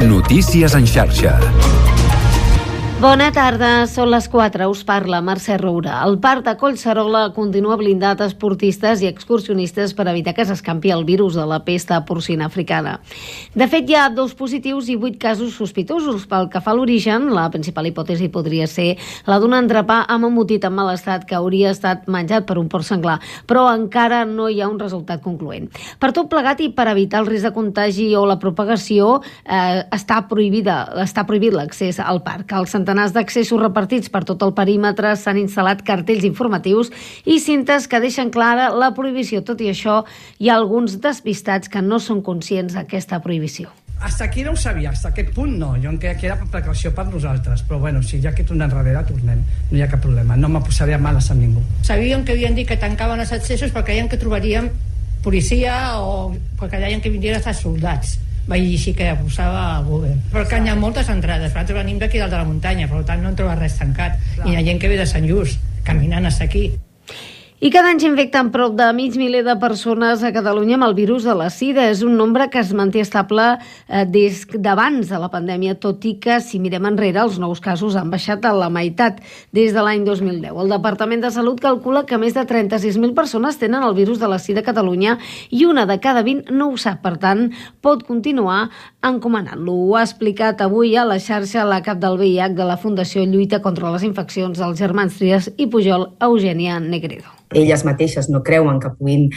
Notícies en xarxa. Bona tarda, són les 4, us parla Mercè Roura. El parc de Collserola continua blindat a esportistes i excursionistes per evitar que s'escampi el virus de la pesta porcina africana. De fet, hi ha 2 positius i 8 casos sospitosos. Pel que fa a l'origen, la principal hipòtesi podria ser la d'un entrepà amb embotit en mal estat que hauria estat menjat per un porc senglar, però encara no hi ha un resultat concloent. Per tot plegat i per evitar el risc de contagi o la propagació, està prohibit l'accés al parc. Els centenars d'accessos repartits per tot el perímetre s'han instal·lat cartells informatius i cintes que deixen clara la prohibició. Tot i això, hi ha alguns despistats que no són conscients d'aquesta prohibició. Hasta aquí no ho sabia, hasta aquest punt no. Jo em creia que era per precaució per nosaltres, però bueno, si ja que tornem enrere, tornem. No hi ha cap problema, no me posaré a males amb ningú. Sabíem que havien dit que tancaven els accessos perquè deien que trobaríem policia o perquè deien que vindrien a estar soldats. Vaig llegir que posava a Google. Però que hi ha moltes entrades. Nosaltres venim d'aquí dalt de la muntanya, per tant no en troba res tancat. I hi ha gent que ve de Sant Just, caminant fins aquí. I cada any s'infecten prop de 500.000 de persones a Catalunya amb el virus de la sida. És un nombre que es manté estable des d'abans de la pandèmia, tot i que, si mirem enrere, els nous casos han baixat a la meitat des de l'any 2010. El Departament de Salut calcula que més de 36.000 persones tenen el virus de la sida a Catalunya i una de cada 20 no ho sap. Per tant, pot continuar encomanant-lo. Ho ha explicat avui a la xarxa la cap del VIH de la Fundació Lluita contra les Infeccions dels Germans Trias i Pujol, Eugènia Negredo. Elles mateixes no creuen que puguin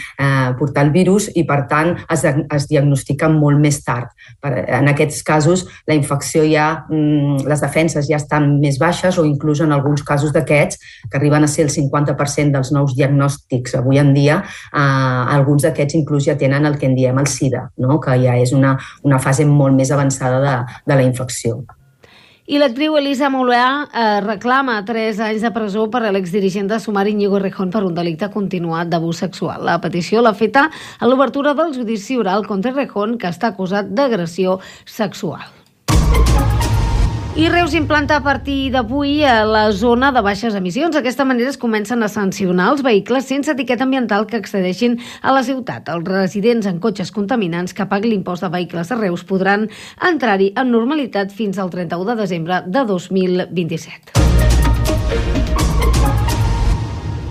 portar el virus i, per tant, es diagnostiquen molt més tard. En aquests casos, la infecció les defenses ja estan més baixes o inclús en alguns casos d'aquests, que arriben a ser el 50% dels nous diagnòstics avui en dia, alguns d'aquests inclús ja tenen el que en diem el SIDA, no? Que ja és una fase molt més avançada de la infecció. I l'actriu Elisa Moulià reclama 3 anys de presó per a l'exdirigent de Sumar Íñigo Errejón per un delicte continuat d'abús sexual. La petició l'ha feta a l'obertura del judici oral contra Errejón, que està acusat d'agressió sexual. I Reus implanta a partir d'avui a la zona de baixes emissions. D'aquesta manera es comencen a sancionar els vehicles sense etiqueta ambiental que accedeixin a la ciutat. Els residents en cotxes contaminants que paguen l'impost de vehicles de Reus podran entrar-hi amb normalitat fins al 31 de desembre de 2027.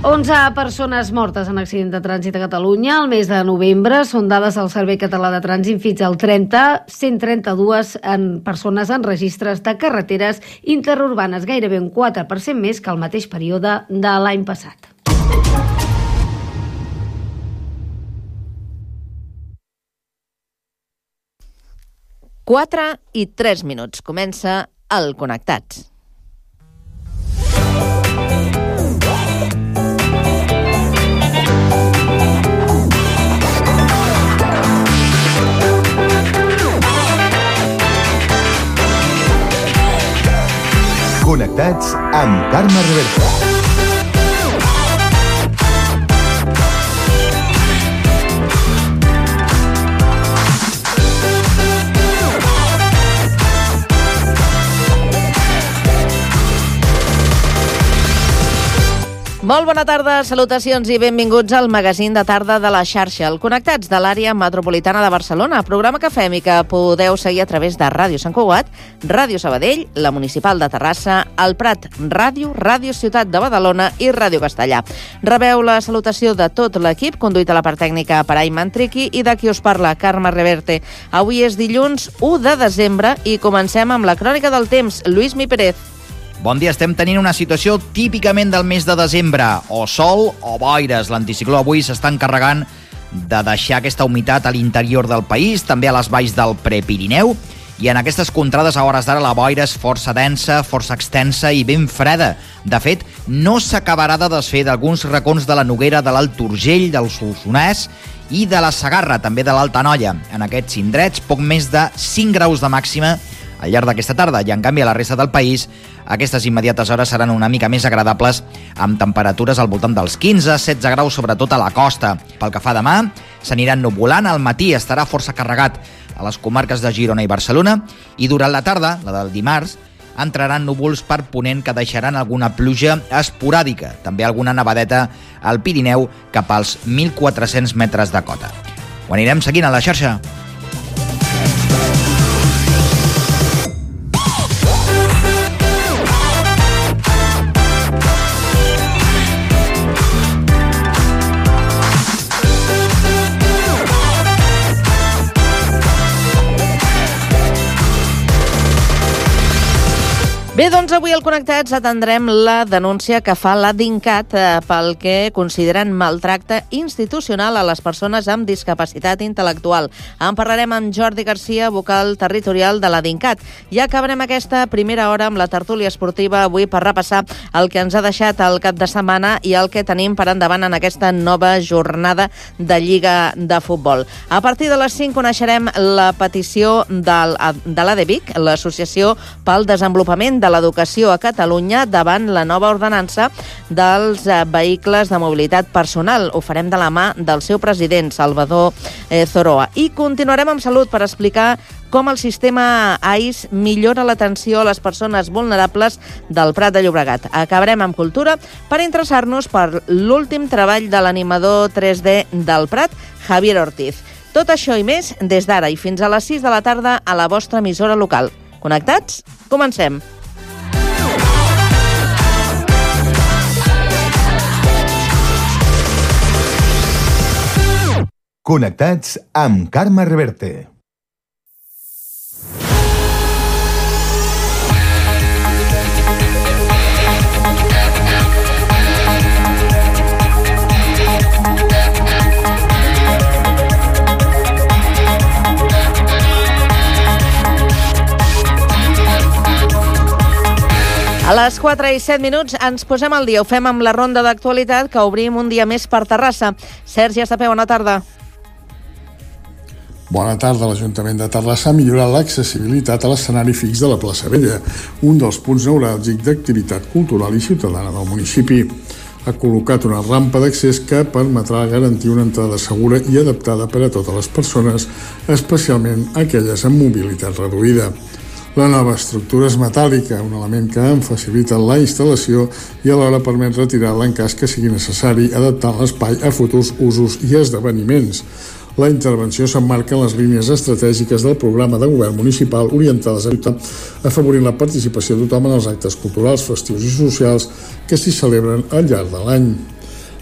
11 persones mortes en accident de trànsit a Catalunya el mes de novembre. Són dades del Servei Català de Trànsit fins al 30. 132 persones en registres de carreteres interurbanes, gairebé un 4% més que el mateix període de l'any passat. Quatre i 3 minuts. Comença el Connectats. Connectats amb Carme Reverte. Molt bona tarda, salutacions i benvinguts al magazín de tarda de la xarxa, el Connectats de l'àrea metropolitana de Barcelona, programa que fem i que podeu seguir a través de Ràdio Sant Cugat, Ràdio Sabadell, la Municipal de Terrassa, el Prat Ràdio, Ràdio Ciutat de Badalona i Ràdio Castellà. Rebeu la salutació de tot l'equip, conduït a la part tècnica per Ayman Triqui i de qui us parla, Carme Reverte. Avui és dilluns 1 de desembre i comencem amb la crònica del temps. Lluís Mi Pérez. Bon dia, estem tenint una situació típicament del mes de desembre, o sol o boires. L'anticicló avui s'està encarregant de deixar aquesta humitat a l'interior del país, també a les valls del Prepirineu, i en aquestes contrades a hores d'ara la boira és força densa, força extensa i ben freda. De fet, no s'acabarà de desfer d'alguns racons de la Noguera, de l'Alt Urgell, del Solsonès i de la Segarra, també de l'Alta Noia. En aquests indrets, poc més de 5 graus de màxima al llarg d'aquesta tarda, i en canvi a la resta del país aquestes immediates hores seran una mica més agradables, amb temperatures al voltant dels 15-16 graus, sobretot a la costa. Pel que fa a demà, s'aniran nuvolant, al matí estarà força carregat a les comarques de Girona i Barcelona, i durant la tarda, la del dimarts, entraran núvols per ponent que deixaran alguna pluja esporàdica, també alguna nevadeta al Pirineu cap als 1.400 metres de cota. Ho anirem seguint a la xarxa. Bé, doncs avui al Connectats atendrem la denúncia que fa la DINCAT pel que consideren maltracte institucional a les persones amb discapacitat intel·lectual. En parlarem amb Jordi Garcia, vocal territorial de la DINCAT. I acabarem aquesta primera hora amb la tertúlia esportiva avui per repassar el que ens ha deixat el cap de setmana i el que tenim per endavant en aquesta nova jornada de Lliga de Futbol. A partir de les 5 coneixerem la petició de l'ADVIC, l'Associació pel Desenvolupament de l'Educació a Catalunya, davant la nova ordenança dels vehicles de mobilitat personal. Ho farem de la mà del seu president, Salvador Zoroa. I continuarem amb salut per explicar com el sistema AIS millora l'atenció a les persones vulnerables del Prat de Llobregat. Acabarem amb cultura per interessar-nos per l'últim treball de l'animador 3D del Prat, Javier Ortiz. Tot això i més des d'ara i fins a les 6 de la tarda a la vostra emissora local. Connectats? Comencem! Connectats amb Carme Reverte. A les 4 i 7 minuts ens posem al dia. Ho fem amb la ronda d'actualitat que obrim un dia més per Terrassa. Sergi Estapé, bona tarda. Bona tarda. L'Ajuntament de Terrassa ha millorat l'accessibilitat a l'escenari fix de la plaça Vella, un dels punts neuràlgics d'activitat cultural i ciutadana del municipi. Ha col·locat una rampa d'accés que permetrà garantir una entrada segura i adaptada per a totes les persones, especialment aquelles amb mobilitat reduïda. La nova estructura és metàl·lica, un element que en facilita la instal·lació i alhora permet retirar-la en cas que sigui necessari, adaptant l'espai a futurs usos i esdeveniments. La intervenció s'emmarca en les línies estratègiques del programa de govern municipal orientades a afavorir la participació de tothom en els actes culturals, festius i socials que s'hi celebren al llarg de l'any.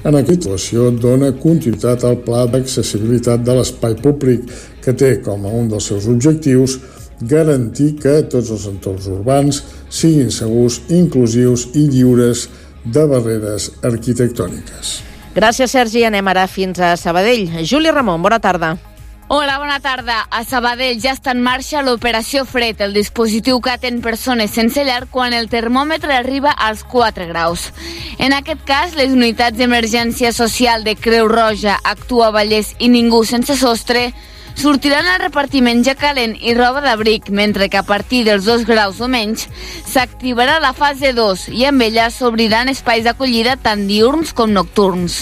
En aquesta situació dona continuïtat al pla d'accessibilitat de l'espai públic, que té com a un dels seus objectius garantir que tots els entorns urbans siguin segurs, inclusius i lliures de barreres arquitectòniques. Gràcies, Sergi. Anem ara fins a Sabadell. Júlia Ramon, bona tarda. Hola, bona tarda. A Sabadell ja està en marxa l'operació Fred, el dispositiu que atén persones sense llar quan el termòmetre arriba als 4 graus. En aquest cas, les unitats d'emergència social de Creu Roja, Actua Vallès i Ningú Sense Sostre sortiran al repartiment ja calent i roba d'abric, mentre que a partir dels 2 graus o menys s'activarà la fase 2 i amb ella s'obriran espais d'acollida tant diürns com nocturns.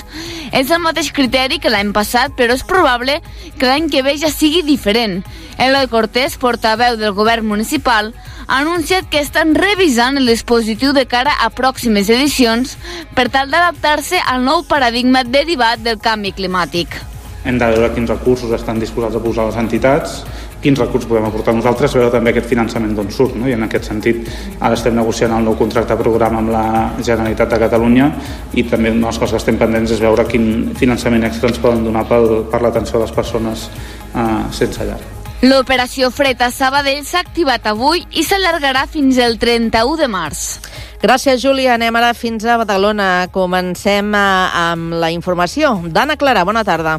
És el mateix criteri que l'any passat, però és probable que l'any que ve ja sigui diferent. Eloi Cortés, portaveu del govern municipal, ha anunciat que estan revisant el dispositiu de cara a pròximes edicions per tal d'adaptar-se al nou paradigma derivat del canvi climàtic. Hem de veure quins recursos estan disposats a posar les entitats, quins recursos podem aportar nosaltres, veure també aquest finançament d'on surt, no? I en aquest sentit ara estem negociant el nou contracte programa amb la Generalitat de Catalunya i també una de les coses que estem pendents és veure quin finançament extra ens poden donar per l'atenció a les persones sense llar. L'operació Fred a Sabadell s'ha activat avui i s'allargarà fins el 31 de març. Gràcies, Júlia. Anem ara fins a Badalona. Comencem amb la informació. Dana Clara, bona tarda.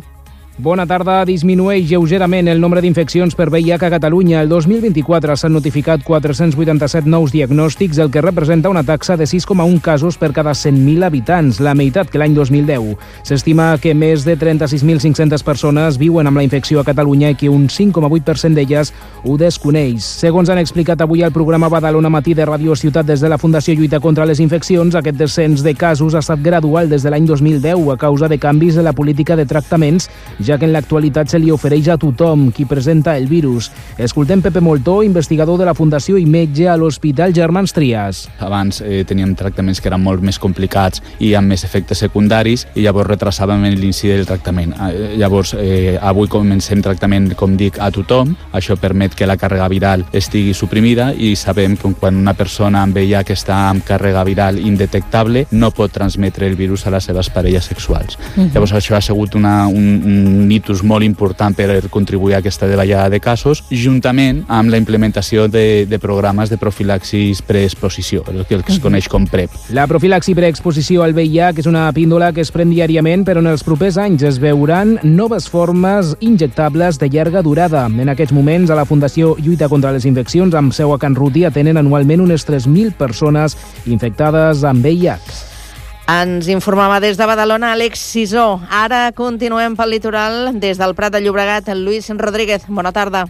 Bona tarda. Disminueix lleugerament el nombre d'infeccions per VIH a Catalunya. El 2024 s'han notificat 487 nous diagnòstics, el que representa una taxa de 6,1 casos per cada 100.000 habitants, la meitat que l'any 2010. S'estima que més de 36.500 persones viuen amb la infecció a Catalunya i que un 5,8% d'elles ho desconeix. Segons han explicat avui al programa Badalona Matí de Ràdio Ciutat des de la Fundació Lluita contra les Infeccions, aquest descens de casos ha estat gradual des de l'any 2010 a causa de canvis en la política de tractaments, ja que en l'actualitat se li ofereix a tothom qui presenta el virus. Escoltem Pepe Moltó, investigador de la Fundació i metge a l'Hospital Germans Trias. Abans teníem tractaments que eren molt més complicats i amb més efectes secundaris i llavors retrasàvem l'inci del tractament. Llavors, avui comencem tractament, com dic, a tothom. Això permet que la càrrega viral estigui suprimida i sabem que quan una persona amb VIH que està amb càrrega viral indetectable no pot transmetre el virus a les seves parelles sexuals. Llavors això ha sigut un un hitus molt important per contribuir a aquesta davallada de casos, juntament amb la implementació de programes de profilaxis preexposició, el que es coneix com PrEP. La profilaxi preexposició al VIH és una píndola que es pren diàriament, però en els propers anys es veuran noves formes injectables de llarga durada. En aquests moments, a la Fundació Lluita contra les Infeccions, amb seu a Can Ruti, atenen anualment unes 3.000 persones infectades amb VIH. Ens informava des de Badalona Àlex Sisó. Ara continuem pel litoral des del Prat de Llobregat. Lluís Rodríguez, bona tarda.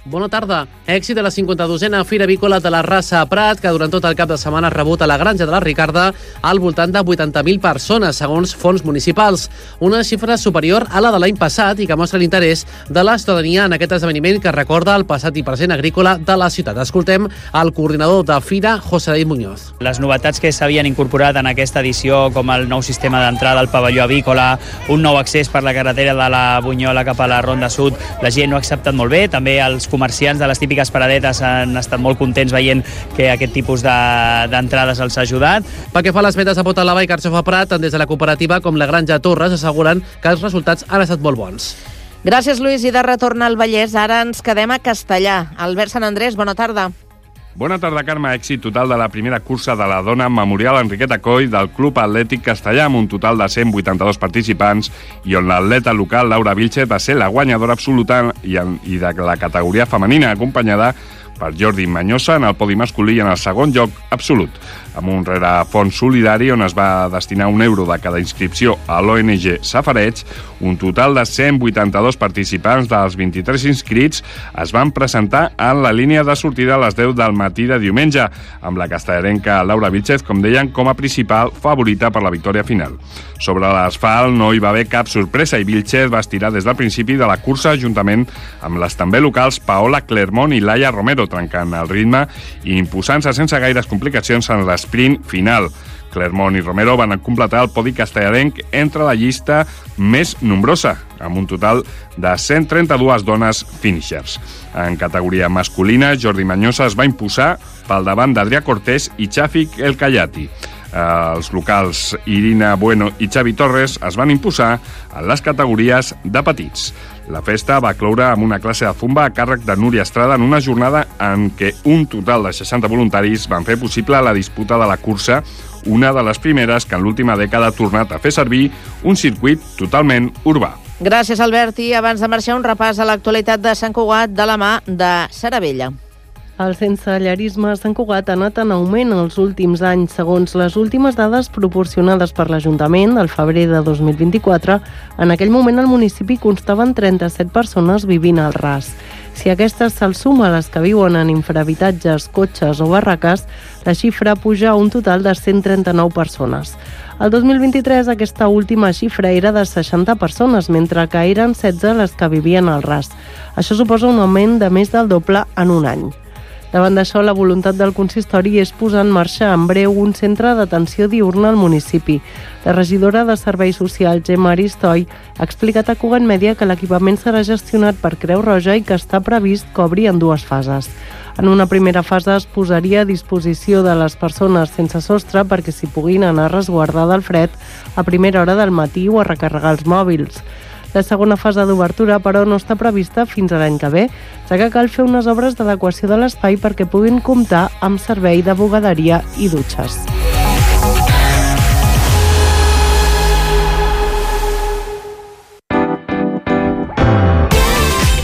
Bona tarda. Èxit de la 52a Fira Avícola de la Rasa a Prat, que durant tot el cap de setmana ha rebut a la Granja de la Ricarda al voltant de 80.000 persones, segons fons municipals. Una xifra superior a la de l'any passat i que mostra l'interès de la ciutadania en aquest esdeveniment que recorda el passat i present agrícola de la ciutat. Escoltem el coordinador de Fira, José David Muñoz. Les novetats que s'havien incorporat en aquesta edició, com el nou sistema d'entrada al pavelló avícola, un nou accés per la carretera de la Bunyola cap a la Ronda Sud, la gent ho ha acceptat molt bé. També els comerciants de les típiques paradetes han estat molt contents veient que aquest tipus d'entrades els ha ajudat. Pel que fa a les vendes de pota lava i carxofa Prat, tant des de la cooperativa com la Granja Torres asseguren que els resultats han estat molt bons. Gràcies, Lluís. I de retorn al Vallès, ara ens quedem a Castellà. Albert Sant Andrés, bona tarda. Bona tarda, Carme. Èxit total de la primera cursa de la dona Memorial Enriqueta Coll del Club Atlètic Castellà, amb un total de 182 participants, i on l'atleta local Laura Vilchez va ser la guanyadora absoluta i de la categoria femenina, acompanyada per Jordi Manyosa en el podi masculí i en el segon lloc absolut, amb un rerefons solidari on es va destinar €1 de cada inscripció a l'ONG Safareig. Un total de 182 participants dels 23 inscrits es van presentar en la línia de sortida a les 10 del matí de diumenge, amb la castellarenca Laura Vilchez, com deien, com a principal favorita per la victòria final. Sobre l'asfalt no hi va haver cap sorpresa i Vilchez va estirar des del principi de la cursa juntament amb les també locals Paola Clermont i Laia Romero, trencant el ritme i imposant-se sense gaires complicacions en l'esprint final. Clermont i Romero van completar el podi castellarenc entre la llista més nombrosa, amb un total de 132 dones finishers. En categoria masculina, Jordi Manyosa es va imposar pel davant d'Adrià Cortés i Chafik El Kayati. Els locals Irina Bueno i Xavi Torres es van imposar en les categories de petits. La festa va cloure amb una classe de zumba a càrrec de Núria Estrada en una jornada en què un total de 60 voluntaris van fer possible la disputa de la cursa, una de les primeres que en l'última dècada ha tornat a fer servir un circuit totalment urbà. Gràcies, Albert. I abans de marxar, un repàs a l'actualitat de Sant Cugat de la mà de Sara Vella. El sensellarisme a Sant Cugat ha anat en augment els últims anys. Segons les últimes dades proporcionades per l'Ajuntament, al febrer de 2024, en aquell moment al municipi constaven 37 persones vivint al ras. Si aquestes se'ls suma a les que viuen en infrahabitatges, cotxes o barraques, la xifra puja a un total de 139 persones. El 2023 aquesta última xifra era de 60 persones, mentre que eren 16 les que vivien al ras. Això suposa un augment de més del doble en un any. Davant d'això, la voluntat del consistori és posar en marxa en breu un centre d'atenció diurna al municipi. La regidora de Serveis Socials, Gemma Aristoy, ha explicat a Cugat Mèdia que l'equipament serà gestionat per Creu Roja i que està previst que obri en 2 fases. En una primera fase es posaria a disposició de les persones sense sostre perquè s'hi puguin anar a resguardar del fred a primera hora del matí o a recarregar els mòbils. La segona fase d'obertura, però, no està prevista fins a l'any que ve, ja que cal fer unes obres d'adequació de l'espai perquè puguin comptar amb servei de bugaderia i dutxes.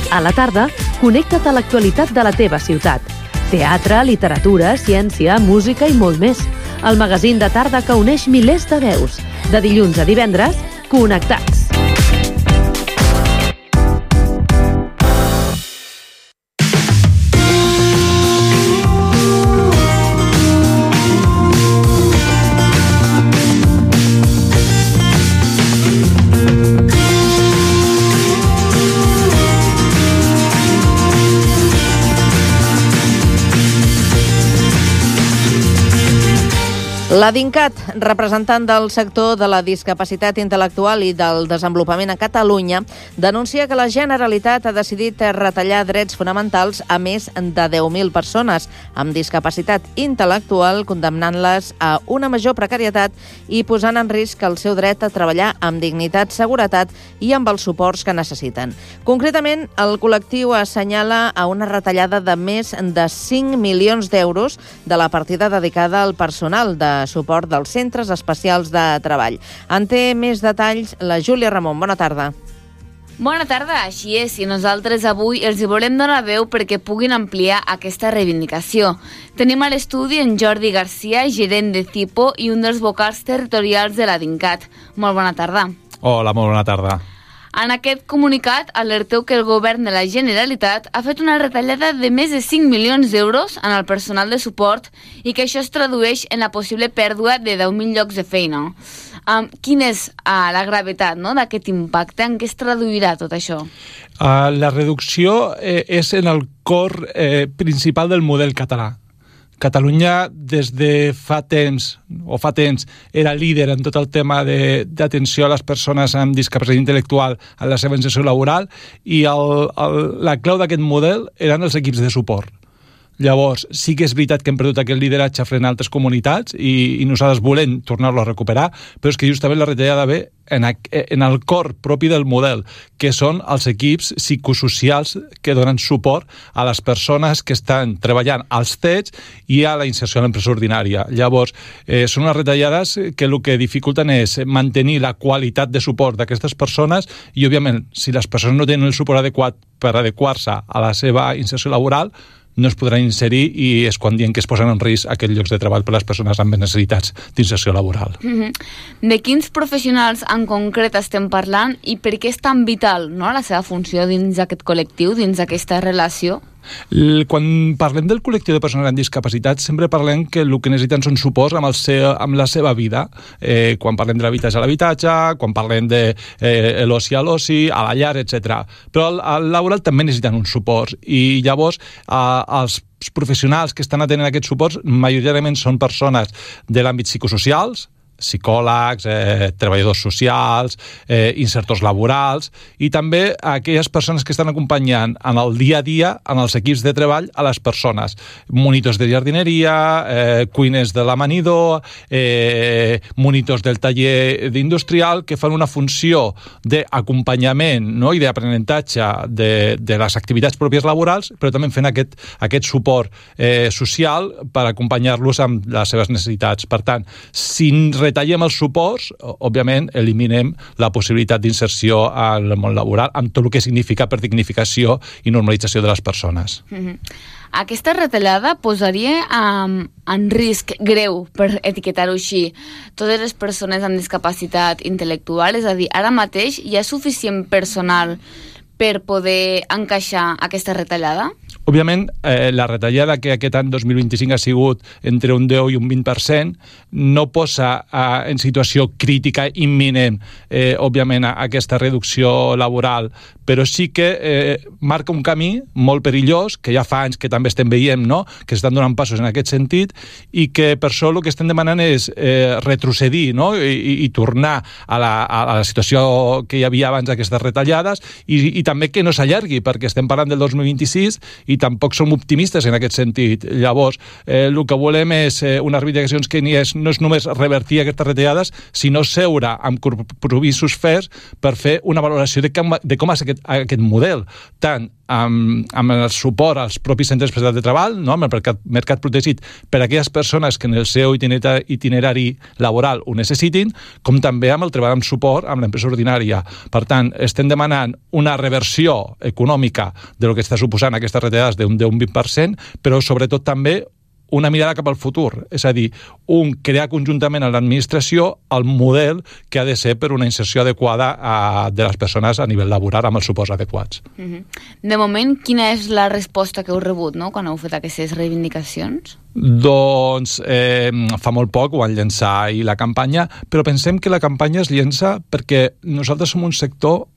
A la tarda, connecta't a l'actualitat de la teva ciutat. Teatre, literatura, ciència, música i molt més. El magazín de tarda que uneix milers de veus. De dilluns a divendres, Connectats. La DINCAT, representant del sector de la discapacitat intel·lectual i del desenvolupament a Catalunya, denuncia que la Generalitat ha decidit retallar drets fonamentals a més de 10.000 persones amb discapacitat intel·lectual, condemnant-les a una major precarietat i posant en risc el seu dret a treballar amb dignitat, seguretat i amb els suports que necessiten. Concretament, el col·lectiu assenyala a una retallada de més de 5 milions d'euros de la partida dedicada al personal de suport dels centres especials de treball. En té més detalls la Júlia Ramon. Bona tarda. Bona tarda, així és, i nosaltres avui els hi volem donar veu perquè puguin ampliar aquesta reivindicació. Tenim a l'estudi en Jordi Garcia, gerent de CIPO i un dels vocals territorials de la DINCAT. Molt bona tarda. Hola, molt bona tarda. En aquest comunicat alerteu que el govern de la Generalitat ha fet una retallada de més de 5 milions d'euros en el personal de suport i que això es tradueix en la possible pèrdua de 10.000 llocs de feina. Quina és la gravetat d'aquest impacte? En què es traduirà tot això? La reducció és en el cor principal del model català. Catalunya des de fa temps era líder en tot el tema d'atenció a les persones amb discapacitat intel·lectual en la seva inserció laboral i la clau d'aquest model eren els equips de suport. Llavors, sí que és veritat que hem perdut aquest lideratge front a altres comunitats i nosaltres volem tornar-lo a recuperar, però és que justament la retallada ve en el cor propi del model, que són els equips psicosocials que donen suport a les persones que estan treballant als CETs i a la inserció a l'empresa ordinària. Llavors, són unes retallades que el que dificulten és mantenir la qualitat de suport d'aquestes persones i, òbviament, si les persones no tenen el suport adequat per adequar-se a la seva inserció laboral, no es podran inserir i és quan diem que es posen en risc aquests llocs de treball per a les persones amb necessitats d'inserció laboral. De quins professionals en concret estem parlant i per què és tan vital la seva funció dins d'aquest col·lectiu, dins d'aquesta relació? Quan parlem del col·lectiu de persones amb discapacitat sempre parlem que el que necessiten són suports amb la seva vida. Quan parlem de l'habitatge a l'habitatge, quan parlem de l'oci a l'oci, a la llar, etc. Però al laboral també necessiten uns suports i llavors els professionals que estan atenent aquests suports majoritàriament són persones de l'àmbit psicosocials, psicòlegs, treballadors socials, insertors laborals i també aquelles persones que estan acompanyant en el dia a dia en els equips de treball a les persones. Monitors de jardineria, cuiners de l'amanidor, monitors del taller industrial que fan una funció d'acompanyament i d'aprenentatge de les activitats pròpies laborals, però també fent aquest suport social per acompanyar-los amb les seves necessitats. Per tant, si retallem els suports, òbviament eliminem la possibilitat d'inserció al món laboral amb tot el que significa per dignificació i normalització de les persones. Aquesta retallada posaria en risc greu, per etiquetar-ho així, totes les persones amb discapacitat intel·lectual, és a dir, ara mateix hi ha suficient personal per poder encaixar aquesta retallada? Òbviament, la retallada que aquest any 2025 ha sigut entre un 10 i un 20% no posa en situació crítica imminent, òbviament, aquesta reducció laboral, però sí que marca un camí molt perillós, que ja fa anys que també estem veient, que estan donant passos en aquest sentit, i que per això el que estem demanant és retrocedir i tornar a la situació que hi havia abans d'aquestes retallades i també que no s'allargui, perquè estem parlant del 2026 i tampoc som optimistes en aquest sentit. Llavors, el que volem és unes reivindicacions que no és només revertir aquestes retallades, sinó seure amb compromisos ferms per fer una valoració de com és aquest model, tant amb el suport als propis centres especials de treball, amb el mercat protegit per a aquelles persones que en el seu itinerari laboral ho necessitin, com també amb el treball amb suport amb l'empresa ordinària. Per tant, estem demanant una reversió econòmica del que està suposant aquestes retallades d'un 10-20%, però sobretot també una mirada cap al futur, és a dir, crear conjuntament a l'administració el model que ha de ser per una inserció adequada de les persones a nivell laboral amb els suports adequats. De moment, quina és la resposta que heu rebut quan heu fet aquestes reivindicacions? Doncs fa molt poc ho van llançar ahir la campanya, però pensem que la campanya es llença perquè nosaltres som un sector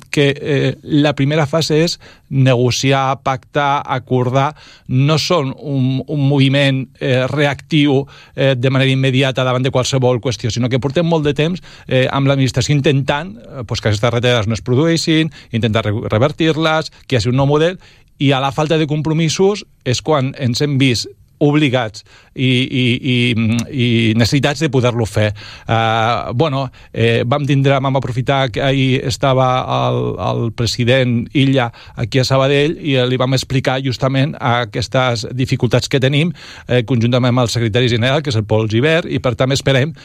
que la primera fase és negociar, pactar, acordar. No són un moviment reactiu de manera immediata davant de qualsevol qüestió, sinó que portem molt de temps amb l'administració intentant que aquestes retallades no es produeixin, intentar revertir-les, que hi hagi un nou model, i a la falta de compromisos és quan ens hem vist obligats i necessitats de poder-lo fer. Vam aprofitar que ahir estava el president Illa aquí a Sabadell i li vam explicar justament aquestes dificultats que tenim conjuntament amb el secretari general, que és el Pol Gibert, i per tant esperem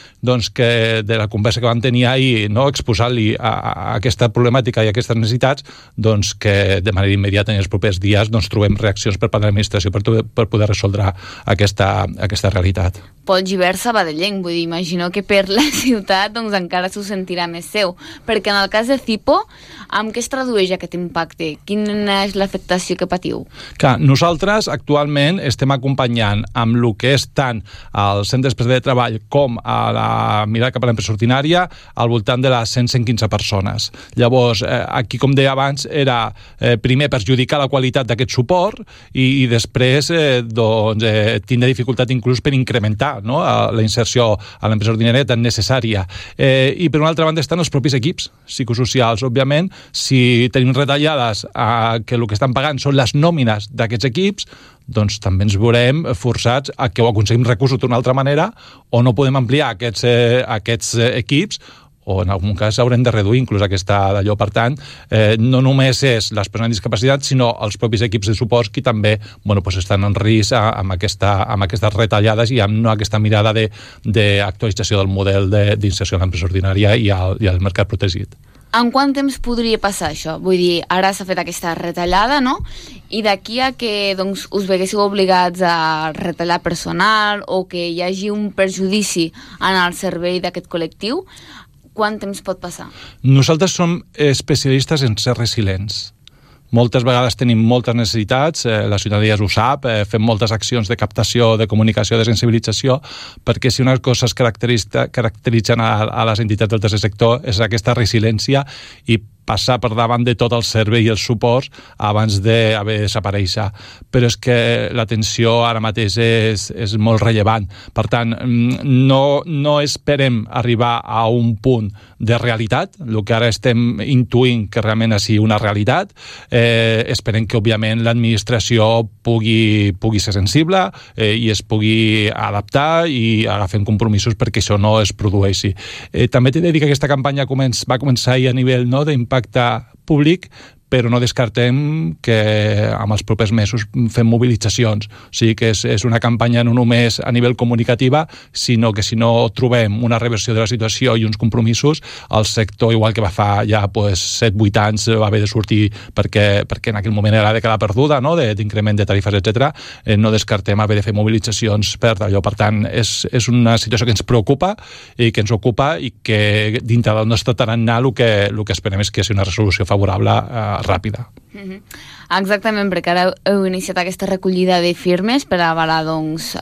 que de la conversa que vam tenir ahir, exposant-li a aquesta problemàtica i a aquestes necessitats, que de manera immediata en els propers dies trobem reaccions per part de l'administració per poder resoldre aquesta realitat. Pol Gibert sabadellenc, vull dir, imagino que per la ciutat encara s'ho sentirà més seu, perquè en el cas de Cipo, amb què es tradueix aquest impacte? Quina és l'afectació que patiu? Nosaltres actualment estem acompanyant amb el que és tant als centres de treball com a la mirada cap a l'empresa ordinària al voltant de les 115 persones. Llavors, aquí, com deia abans, era primer perjudicar la qualitat d'aquest suport i després tindre dificultat inclús per incrementar la inserció a l'empresa ordinària tan necessària. I per una altra banda estan els propis equips psicosocials. Òbviament, si tenim retallades que el que estan pagant són les nòmines d'aquests equips, doncs també ens veurem forçats a que ho aconseguim recursos d'una altra manera o no podem ampliar aquests equips o en algun cas haurem de reduir inclús aquesta d'allò. Per tant, no només és les persones amb discapacitat, sinó els propis equips de suport que també estan en risc amb aquestes retallades i amb aquesta mirada d'actualització del model d'inserció a l'empresa ordinària i al mercat protegit. En quant temps podria passar això? Vull dir, ara s'ha fet aquesta retallada, no? I d'aquí a que us veguéssiu obligats a retallar personal o que hi hagi un perjudici en el servei d'aquest col·lectiu, quant temps pot passar? Nosaltres som especialistes en ser resilients. Moltes vegades tenim moltes necessitats, la ciutadania ho sap, fem moltes accions de captació, de comunicació, de sensibilització, perquè si una cosa es caracteritzen a les entitats del tercer sector és aquesta resiliència i passar per davant de tot el servei i els suports abans d'haver de desaparèixer. Però és que l'atenció ara mateix és molt rellevant. Per tant, no esperem arribar a un punt de realitat, el que ara estem intuint que realment sigui una realitat. Esperem que, òbviament, l'administració pugui ser sensible i es pugui adaptar i agafem compromisos perquè això no es produeixi. També t'he de dir que aquesta campanya va començar ahir a nivell d'impacte públic, però no descartem que amb els propers mesos fem mobilitzacions. O sigui que és una campanya no només a nivell comunicativa, sinó que si no trobem una reversió de la situació i uns compromisos, el sector, igual que va fa ja 7-8 anys, va haver de sortir perquè en aquell moment era la dècada perduda, d'increment de tarifes, etc. No descartem haver de fer mobilitzacions per allò. Per tant, és una situació que ens preocupa i que ens ocupa i que dintre del nostre tarannà el que esperem és que sigui una resolució favorable ràpida. Exactament, perquè ara heu iniciat aquesta recollida de firmes per avalar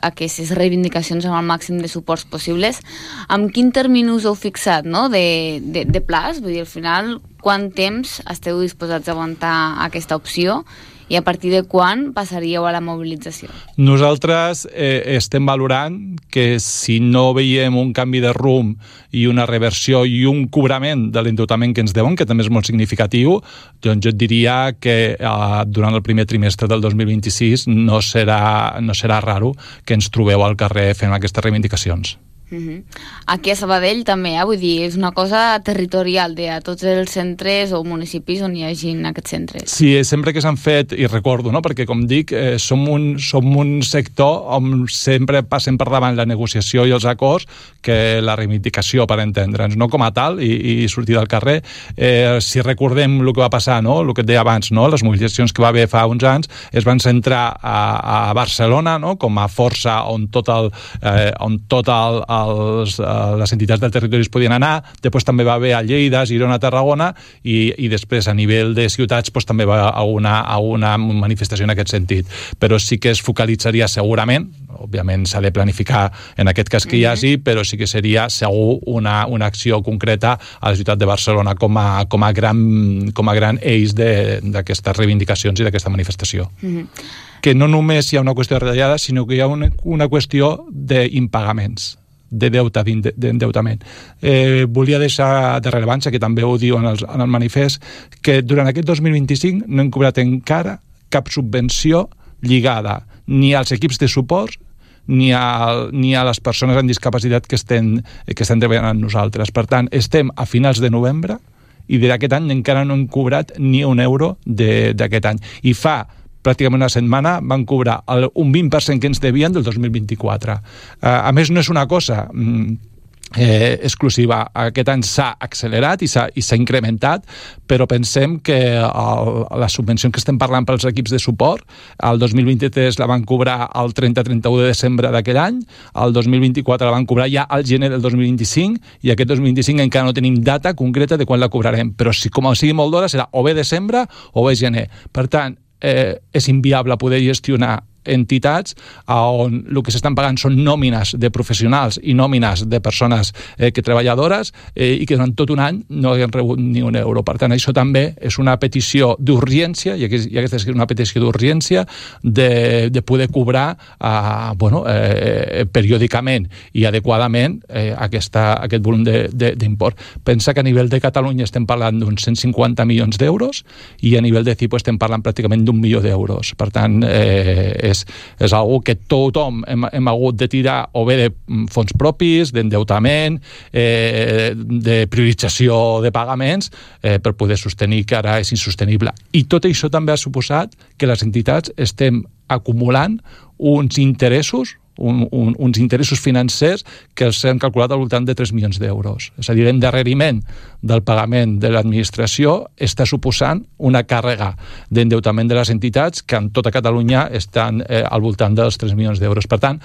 aquestes reivindicacions amb el màxim de suports possibles. Amb quin termini us heu fixat de plaç? Vull dir, al final, quant temps esteu disposats a aguantar aquesta opció i a partir de quan passaríeu a la mobilització? Nosaltres estem valorant que si no veiem un canvi de rumb i una reversió i un cobrament de l'endeutament que ens deuen, que també és molt significatiu, doncs jo et diria que durant el primer trimestre del 2026 no serà raro que ens trobeu al carrer fent aquestes reivindicacions. Aquí a Sabadell també, vull dir, és una cosa territorial de a tots els centres o municipis on hi hagi aquests centres. Sí, sempre que s'han fet, i recordo, perquè com dic, som un sector on sempre passem per davant la negociació i els acords que la reivindicació, per entendre'ns, no com a tal i sortir del carrer. Si recordem el que va passar, el que et deia abans, les mobilitzacions que va haver fa uns anys es van centrar a Barcelona com a força on tot el les entitats del territori es podien anar, després també va haver a Lleida, Girona, Tarragona, i després a nivell de ciutats també va a una manifestació en aquest sentit. Però sí que es focalitzaria segurament, òbviament s'ha de planificar en aquest cas que hi hagi, però sí que seria segur una acció concreta a la ciutat de Barcelona com a gran eix d'aquestes reivindicacions i d'aquesta manifestació. Que no només hi ha una qüestió de retallada, sinó que hi ha una qüestió d'impagaments, de deute, d'endeutament. Volia deixar de rellevància, que també ho diu en el manifest, que durant aquest 2025 no hem cobrat encara cap subvenció lligada ni als equips de suport ni a les persones amb discapacitat que estem treballant amb nosaltres. Per tant, estem a finals de novembre i d'aquest any encara no hem cobrat ni un euro d'aquest any. I fa pràcticament una setmana van cobrar un 20% que ens devien del 2024. A més, no és una cosa exclusiva. Aquest any s'ha accelerat i s'ha incrementat, però pensem que la subvenció que estem parlant pels equips de suport, el 2023 la van cobrar el 30-31 de desembre d'aquell any, el 2024 la van cobrar ja al gener del 2025, i aquest 2025 encara no tenim data concreta de quan la cobrarem, però si com sigui molt d'hora serà o bé desembre o bé gener. Per tant, és inviable poder gestionar entitats on el que s'estan pagant són nòmines de professionals i nòmines de persones treballadores i que durant tot un any no hagin rebut ni un euro. Per tant, això també és una petició d'urgència, i aquesta és una petició d'urgència de poder cobrar periòdicament i adequadament aquest volum d'import. Pensa que a nivell de Catalunya estem parlant d'uns 150 milions d'euros i a nivell de CIPO estem parlant pràcticament d'1 milió d'euros. Per tant, és algo que tothom hem hagut de tirar o bé de fons propis, d'endeutament, de priorització de pagaments per poder sostenir que ara és insostenible. I tot això també ha suposat que les entitats estem acumulant uns interessos financers que s'han calculat al voltant de 3 milions d'euros. És a dir, l'endarreriment del pagament de l'administració està suposant una càrrega d'endeutament de les entitats que en tota Catalunya estan al voltant dels 3 milions d'euros. Per tant,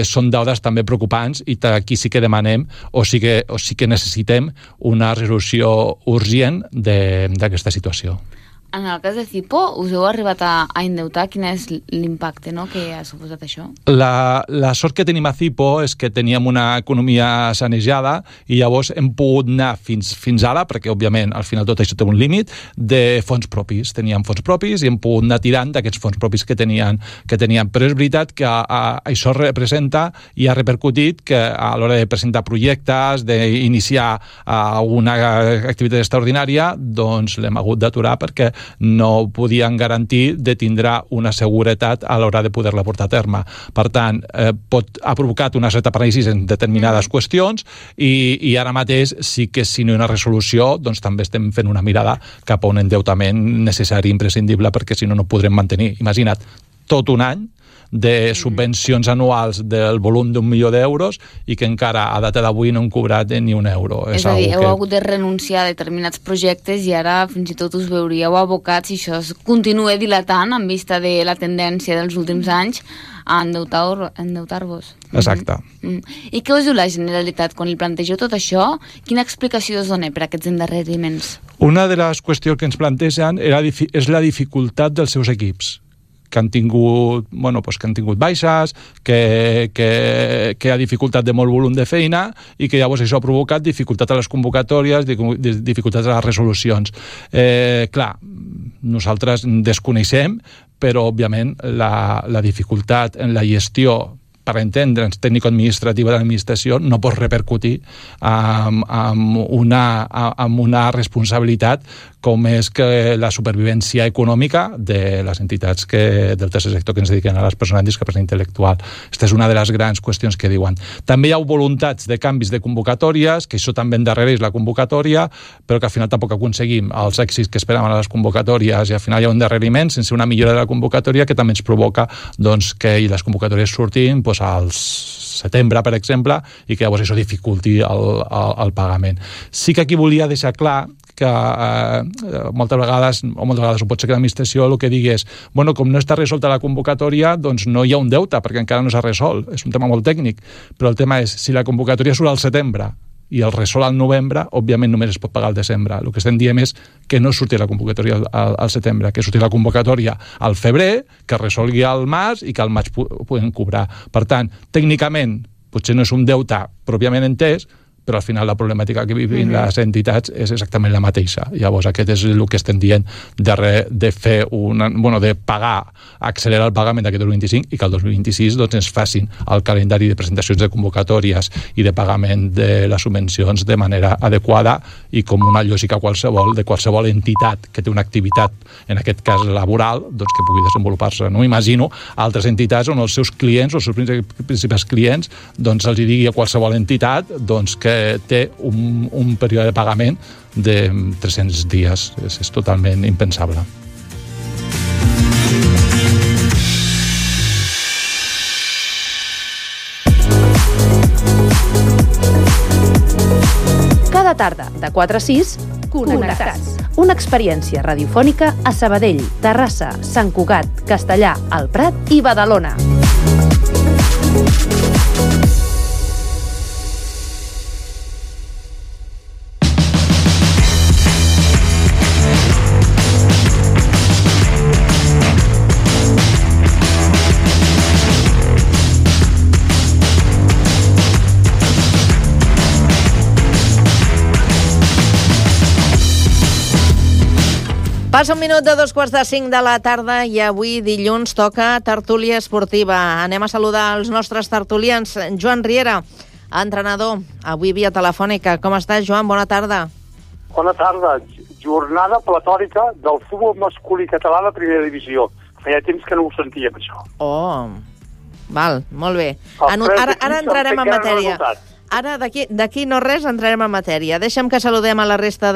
són dades també preocupants i aquí sí que demanem o sí que necessitem una resolució urgent d'aquesta situació. En el cas de CIPO, us heu arribat a endeutar? Quin és l'impacte que ha suposat això? La sort que tenim a CIPO és que teníem una economia sanejada i llavors hem pogut anar fins ara, perquè òbviament al final tot això té un límit, de fons propis. Teníem fons propis i hem pogut anar tirant d'aquests fons propis que teníem. Però és veritat que això representa i ha repercutit que a l'hora de presentar projectes, d'iniciar alguna activitat extraordinària, doncs l'hem hagut d'aturar perquè no podien garantir de tindrà una seguretat a l'hora de poder-la portar a terme. Per tant, ha provocat una certa paràlisi en determinades qüestions i ara mateix sí que si no hi ha una resolució doncs també estem fent una mirada cap a un endeutament necessari, imprescindible, perquè si no, no podrem mantenir. Imagina't, tot un any de subvencions anuals del volum d'1 milió d'euros i que encara a data d'avui no hem cobrat ni un euro. És a dir, heu hagut de renunciar a determinats projectes i ara fins i tot us veuríeu abocats, si això es continua dilatant en vista de la tendència dels últims anys, a endeutar-vos. Exacte. I què us diu la Generalitat quan li plantegeu tot això? Quina explicació us dona per aquests endarreriments? Una de les qüestions que ens plantegen és la dificultat dels seus equips, que han tingut baixes, que hi ha dificultat de molt volum de feina i que llavors això ha provocat dificultat a les convocatòries, dificultats a les resolucions. Clar, nosaltres desconeixem, però òbviament la dificultat en la gestió per entendre'ns tècnico-administrativa de l'administració no pot repercutir amb una responsabilitat com és que la supervivència econòmica de les entitats del tercer sector que ens dediquen a les persones amb discapacitat intel·lectual. Aquesta és una de les grans qüestions que diuen. També hi ha voluntats de canvis de convocatòries, que això també endarrereix la convocatòria, però que al final tampoc aconseguim els èxits que esperàvem a les convocatòries i al final hi ha un endarreriment sense una millora de la convocatòria que també ens provoca que les convocatòries surtin al setembre, per exemple, i que llavors això dificulti el pagament. Sí que aquí volia deixar clar que moltes vegades ho pot ser que l'administració el que digui és, bueno, com no està resolta la convocatòria, doncs no hi ha un deute, perquè encara no s'ha resolt. És un tema molt tècnic, però el tema és, si la convocatòria surt al setembre i el resol al novembre, òbviament només es pot pagar al desembre. El que estem dient és que no surti la convocatòria al setembre, que surti la convocatòria al febrer, que resolgui al març i que al maig puguem cobrar. Per tant, tècnicament, potser no és un deute pròpiament entès, però al final la problemàtica que vivim les entitats és exactament la mateixa. Llavors, aquest és el que estem dient de fer de pagar, accelerar el pagament d'aquest 2025 i que el 2026 doncs, ens facin el calendari de presentacions de convocatòries i de pagament de les subvencions de manera adequada i com una lògica de qualsevol entitat que té una activitat, en aquest cas laboral, doncs, que pugui desenvolupar-se. No m'imagino altres entitats on els seus clients, els seus principals clients, doncs els digui a qualsevol entitat doncs, que té un període de pagament de 300 dies. És totalment impensable. Cada tarda, de 4 a 6, Connectats. Una experiència radiofònica a Sabadell, Terrassa, Sant Cugat, Castellar, el Prat i Badalona. Passa un minut de 2:45 de la tarda i avui dilluns toca tertúlia esportiva. Anem a saludar els nostres tertulians. Joan Riera, entrenador, avui via telefònica. Com estàs, Joan? Bona tarda. Bona tarda. Jornada platòrica del futbol masculí català de primera divisió. Feia temps que no ho sentíem, això. Oh, val, molt bé. Ara entrarem en matèria. Ara, d'aquí no res, entrarem en matèria. Deixa'm que saludem a la resta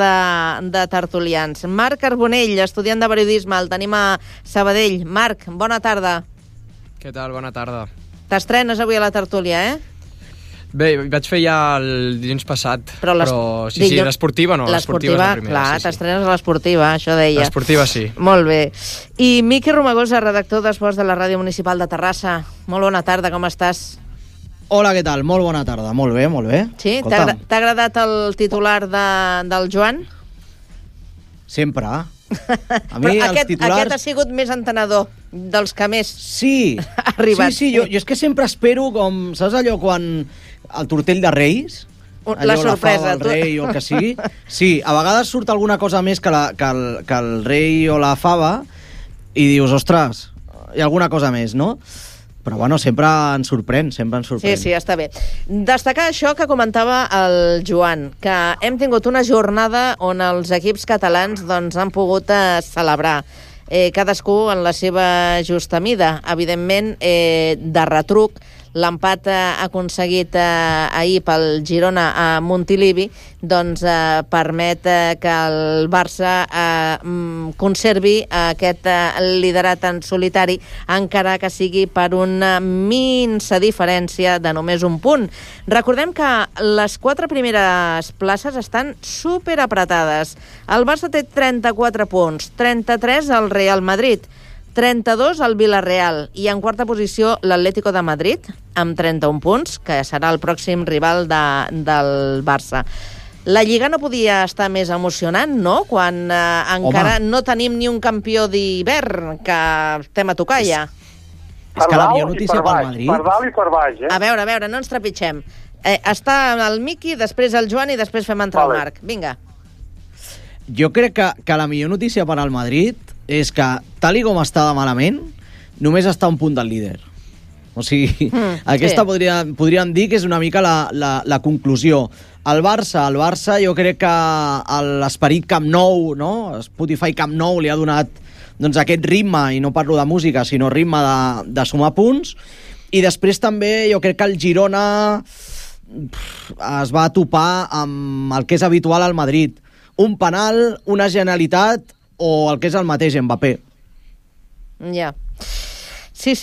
de tertulians. Marc Carbonell, estudiant de periodisme, el tenim a Sabadell. Marc, bona tarda. Què tal? Bona tarda. T'estrenes avui a la tertúlia, Bé, vaig fer ja el dilluns passat, però sí, l'esportiva no. L'esportiva, és la primera, clar, t'estrenes a l'esportiva, això deia. L'esportiva sí. Molt bé. I Miqui Romagosa, redactor d'Esports de la Ràdio Municipal de Terrassa. Molt bona tarda, com estàs? Hola, què tal? Molt bona tarda. Molt bé, molt bé. Sí? T'ha agradat el titular del Joan? Sempre. A mi els titulars... Aquest ha sigut més entenedor dels que més ha arribat. Sí, jo és que sempre espero com... Saps allò quan el tortell de Reis? La sorpresa. El rei o el que sigui. Sí, a vegades surt alguna cosa més que el rei o la fava i dius, ostres, hi ha alguna cosa més, no? Però bueno, sempre ens sorprèn. Sí, està bé. Destacar això que comentava el Joan, que hem tingut una jornada on els equips catalans doncs, han pogut celebrar cadascú en la seva justa mida. Evidentment, de retruc, l'empat aconseguit ahir pel Girona a Montilivi doncs permet que el Barça conservi aquest liderat en solitari, encara que sigui per una minsa diferència de només un punt. Recordem que les 4 primeres places estan superapretades. El Barça té 34 punts, 33 el Real Madrid, 32 el Villarreal i en quarta posició l'Atlético de Madrid amb 31 punts, que serà el pròxim rival del Barça. La Lliga no podia estar més emocionant, no? Quan encara no tenim ni un campió d'hivern, que estem a tocar ja. És que la millor notícia pel Madrid... Per dalt i per baix, A veure, no ens trepitgem. Està el Miqui, després el Joan i després fem entrar el Marc. Vinga. Jo crec que la millor notícia per al Madrid és que, tal i com està de malament, només està a un punt del líder. O sigui, aquesta podríem dir que és una mica la conclusió. El Barça jo crec que l'esperit Camp Nou, no? Spotify Camp Nou li ha donat doncs, aquest ritme, i no parlo de música, sinó ritme de sumar punts. I després també jo crec que el Girona es va topar amb el que és habitual al Madrid. Un penal, una genialitat o el que és el mateix Mbappé. Ja. Sí.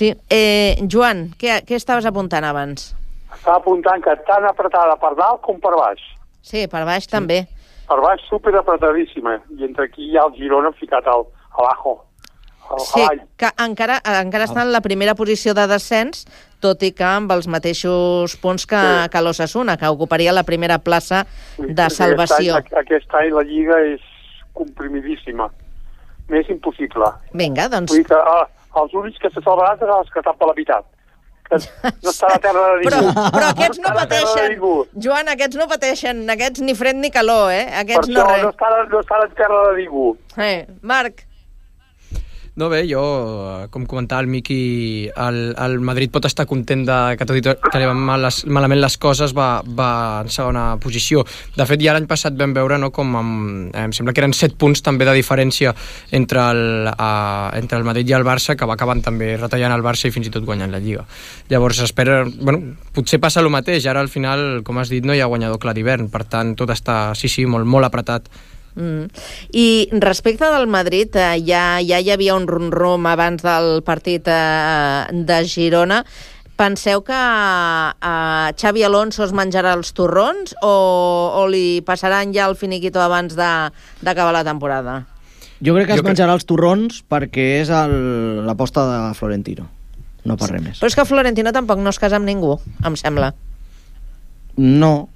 Joan, què estaves apuntant abans? Estava apuntant que tan apretada per dalt com per baix. Sí, per baix també. Per baix, super apretadíssima. I entre aquí hi ha el Girona ficat abajo. Sí, que encara està en la primera posició de descens, tot i que amb els mateixos punts que l'Osasuna, que ocuparia la primera plaça de salvació. Aquest any la Lliga és comprimidíssima. Més impossible. Vinga, doncs... Vull dir que els únics que se salvaran seran els que estan per la meitat. No està a la terra de ningú. Però aquests no pateixen. Joan, aquests no pateixen. Aquests ni fred ni calor, eh? Aquests per això no estan a terra de ningú. Marc. No, bé, jo, com comentava el Miqui, el Madrid pot estar content que tot i tot que li van malament les coses va en segona posició. De fet, ja l'any passat vam veure com em sembla que eren 7 punts també de diferència entre el Madrid i el Barça, que va acabant també retallant el Barça i fins i tot guanyant la Lliga. Llavors espera, potser passa el mateix, ara al final, com has dit, no hi ha guanyador clar d'hivern, per tant tot està, sí, molt, molt apretat. I respecte del Madrid, ja hi havia un rum-rum abans del partit de Girona. Penseu que Xavi Alonso es menjarà els torrons o li passaran ja el finiquito abans d'acabar la temporada? Jo crec que es menjarà els torrons perquè és l'aposta de Florentino, no per res més. Però és que Florentino tampoc no es casa amb ningú, em sembla. No,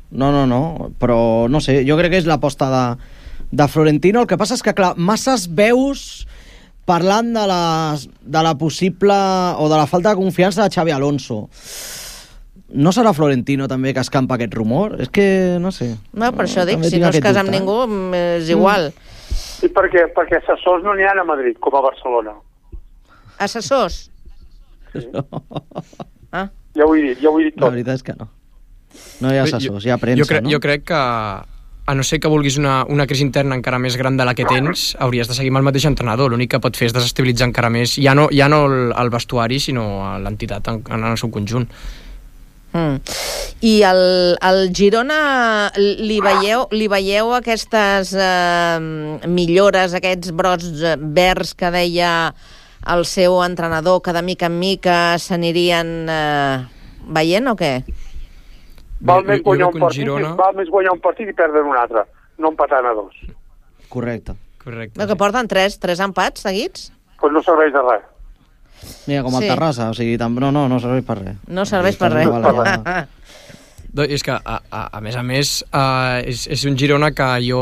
però no sé, jo crec que és l'aposta de Florentino. El que passa és que, clar, masses veus parlant de la possible o de la falta de confiança de Xavi Alonso. No serà Florentino també que escampa aquest rumor? És que, no sé. No, per això dic, si no es casa amb ningú, és igual. Sí, perquè assessors no n'hi ha a Madrid, com a Barcelona. Assessors? Sí. Ja ho he dit tot. La veritat és que no. No hi ha assessors, hi ha premsa, no? Jo crec que, a no ser que vulguis una crisi interna encara més gran de la que tens, hauries de seguir amb el mateix entrenador. L'únic que pot fer és desestabilitzar encara més, ja no el vestuari, sinó l'entitat en el seu conjunt. I el Girona li veieu aquestes millores, aquests brots verds que deia el seu entrenador, que de mica en mica s'anirien veient o què? Val més guanyar un partit i perdre un altre, no empatant a 2. Correcte. No, que porten 3 empats seguits? Doncs no serveix de res. Mira, com el Terrassa, o sigui, no serveix per res. No serveix per res. És que, a més, és un Girona que jo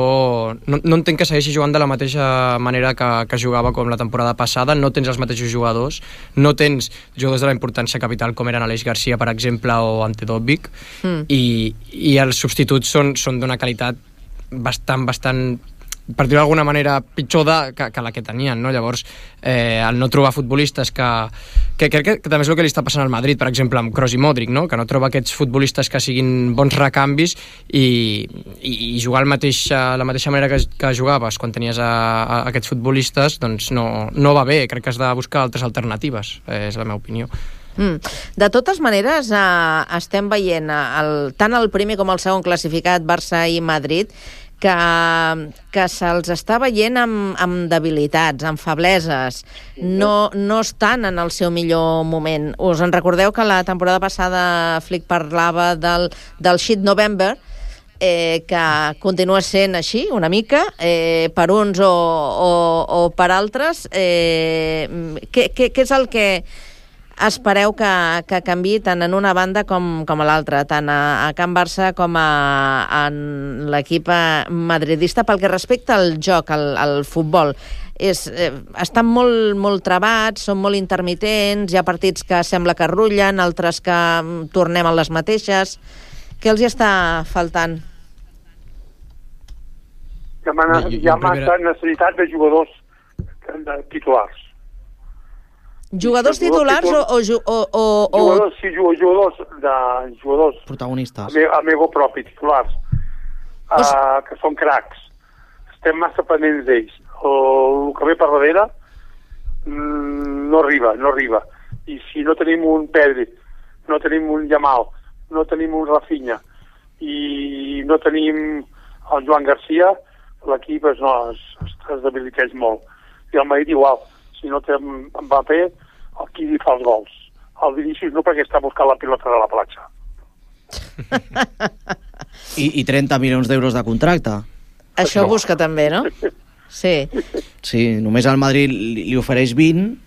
no entenc que segueixi jugant de la mateixa manera que jugava com la temporada passada. No tens els mateixos jugadors, no tens jugadors de la importància capital com eren Aleix Garcia, per exemple, o Ante Dobbik, i els substituts són d'una qualitat bastant, per dir-ho d'alguna manera, pitjor que la que tenien, no? Llavors, el no trobar futbolistes que crec que també és el que li està passant al Madrid, per exemple, amb Kroos i Modric, no? Que no troba aquests futbolistes que siguin bons recanvis i jugar la mateixa manera que jugaves quan tenies aquests futbolistes, doncs no va bé. Crec que has de buscar altres alternatives, és la meva opinió. De totes maneres, estem veient tant el primer com el segon classificat, Barça i Madrid, que se'ls està veient amb debilitats, amb febleses, no estan en el seu millor moment. Us en recordeu que la temporada passada Flick parlava del Shit November, que continua sent així, una mica, per uns o per altres. Què és el que espereu que canviï tant en una banda com a l'altra, tant a Can Barça com en l'equip madridista, pel que respecta al joc, al futbol? Estan molt trebats, són molt intermitents, hi ha partits que sembla que rullen, altres que tornem a les mateixes. Què els hi està faltant? Hi ha massa necessitat de jugadors titulars. Jugadors titulars o... Jugadors protagonistes. Amigo propi, titulars, que són cracs. Estem massa pendents d'ells. El que ve per darrere no arriba. I si no tenim un Pedri, no tenim un Yamal, no tenim un Rafinha i no tenim el Joan Garcia, l'equip es debiliteix molt. I el Madrid igual. Si no té Mbappé, qui li fa els gols? El Vinícius no, perquè està buscant la pilota de la platja. I 30 milions d'euros de contracte. Això busca també, no? Sí. Sí, només el Madrid li ofereix 20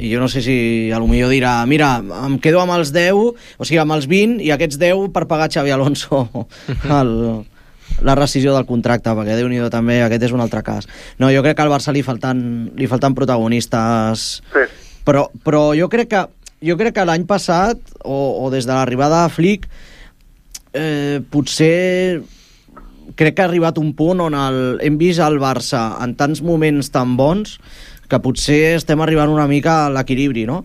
i jo no sé si a lo millor dirà mira, em quedo amb els 10, o sigui, amb els 20 i aquests 10 per pagar Xavi Alonso la rescisió del contracte, perquè Déu-n'hi-do també, aquest és un altre cas. No, jo crec que al Barça li falten protagonistes, sí. Però jo crec que l'any passat, o des de l'arribada de Flick, potser crec que ha arribat un punt on hem vist el Barça en tants moments tan bons que potser estem arribant una mica a l'equilibri, no?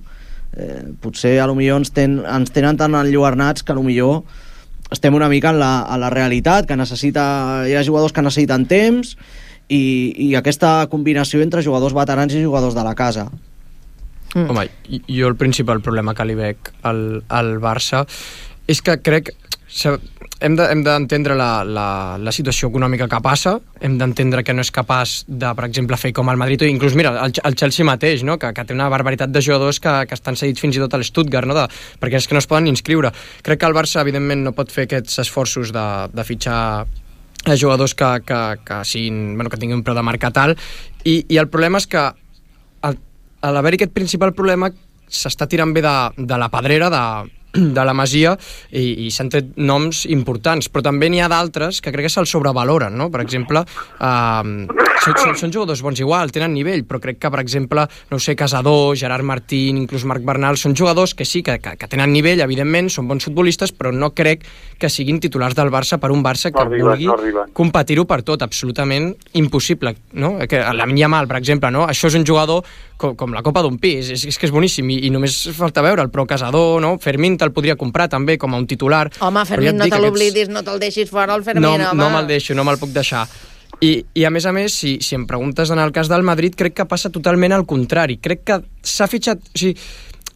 Potser a lo millor ens tenen tan enlluernats que a lo millor estem una mica a la realitat, que hi ha jugadors que necessiten temps i aquesta combinació entre jugadors veterans i jugadors de la casa. Home, jo el principal problema que li veig al Barça és que crec hem d'entendre la situació econòmica que passa, hem d'entendre que no és capaç de, per exemple, fer com el Madrid, o inclús, mira, el Chelsea mateix, no? que té una barbaritat de jugadors que estan cedits fins i tot a l'Stuttgart, no? Perquè és que no es poden inscriure. Crec que el Barça, evidentment, no pot fer aquests esforços de fitxar jugadors que tinguin un preu de marcat alt, i el problema és que a l'haver-hi aquest principal problema s'està tirant bé de la pedrera de la Masia i s'han tret noms importants, però també n'hi ha d'altres que crec que se'ls sobrevaloren, no? Per exemple, són jugadors bons igual, tenen nivell, però crec que, per exemple, no ho sé, Casador, Gerard Martín, inclús Marc Bernal, són jugadors que sí, que tenen nivell, evidentment, són bons futbolistes, però no crec que siguin titulars del Barça per un Barça que vulgui competir-ho per tot, absolutament impossible, no? Que Lamine Yamal, per exemple, no? Això és un jugador com la copa d'un pis, és que és boníssim i només falta veure'l, però Casador, no? Fermín te'l podria comprar també com a un titular. Home, Fermín, no te l'oblidis, no te'l deixis fora el Fermín, home. No me'l deixo, no me'l puc deixar. I a més, si em preguntes en el cas del Madrid, crec que passa totalment al contrari. Crec que s'ha fitxat... O sigui,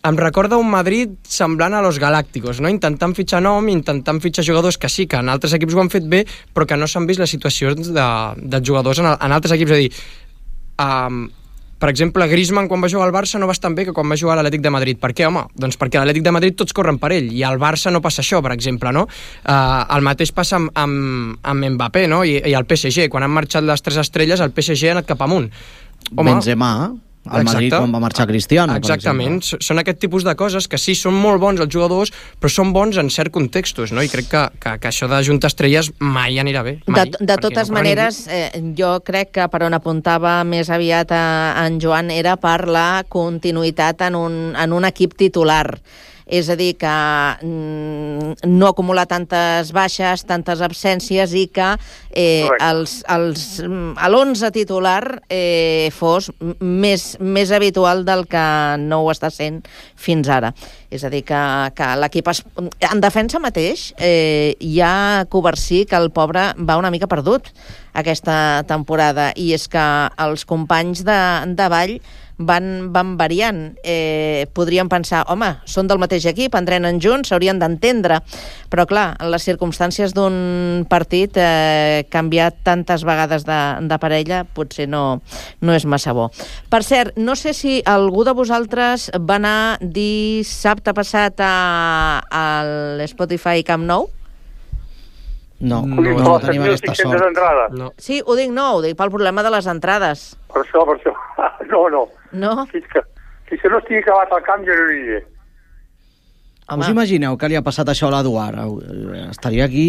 em recorda un Madrid semblant a los Galácticos, no? Intentant fitxar nom, intentant fitxar jugadors que sí, que en altres equips ho han fet bé, però que no s'han vist les situacions de jugadors en altres equips. És a dir, per exemple, Griezmann, quan va jugar al Barça, no va estar tan bé que quan va jugar a l'Atlètic de Madrid. Per què, home? Doncs perquè a l'Atlètic de Madrid tots corren per ell, i al Barça no passa això, per exemple, no? El mateix passa amb Mbappé, no? I el PSG. Quan han marxat les 3 estrelles, el PSG ha anat cap amunt. Benzema, al Madrid quan va marxar Cristiano. Exactament, són aquest tipus de coses que sí, són molt bons els jugadors, però són bons en certs contextos, no? I crec que això de juntar estrelles mai anirà bé. De totes maneres, jo crec que per on apuntava més aviat en Joan era per la continuïtat en un equip titular. És a dir, que no acumular tantes baixes, tantes absències i que l'11 titular fos més habitual del que no ho està sent fins ara. És a dir, que l'equip... En defensa mateix hi ha Covarsí, que el pobre va una mica perdut aquesta temporada, i és que els companys de Vall van variant. Podríem pensar, home, són del mateix equip, entrenen junts, s'haurien d'entendre, però clar, en les circumstàncies d'un partit canviat tantes vegades de parella potser no és massa bo. Per cert, no sé si algú de vosaltres va anar dissabte passat a l'Spotify Camp Nou? No tenim aquesta sort. Sí, ho dic pel problema de les entrades. Per això. No? Fins que no estigui acabat el camp jo no aniré. Us imagineu que li ha passat això a l'Eduard? Estaria aquí...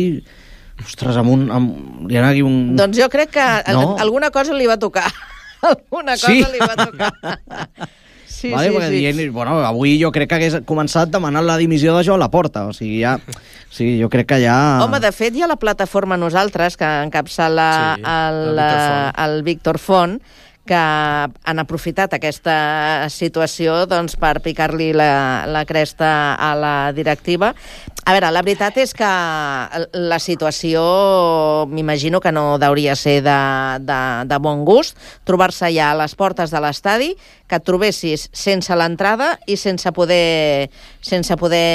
Ostres, li ha aquí un... Doncs jo crec que alguna cosa li va tocar. Alguna cosa li va tocar. Sí, vale, perquè dient, avui jo crec que hagués començat demanant la dimissió de Joan Laporta, o sigui, jo crec que ja... Home, de fet, hi ha la plataforma Nosaltres, que encapçala el Víctor Font, que han aprofitat aquesta situació doncs, per picar-li la cresta a la directiva. A veure, la veritat és que la situació m'imagino que no hauria ser de bon gust, trobar-se ja a les portes de l'estadi, que et trobessis sense l'entrada i sense poder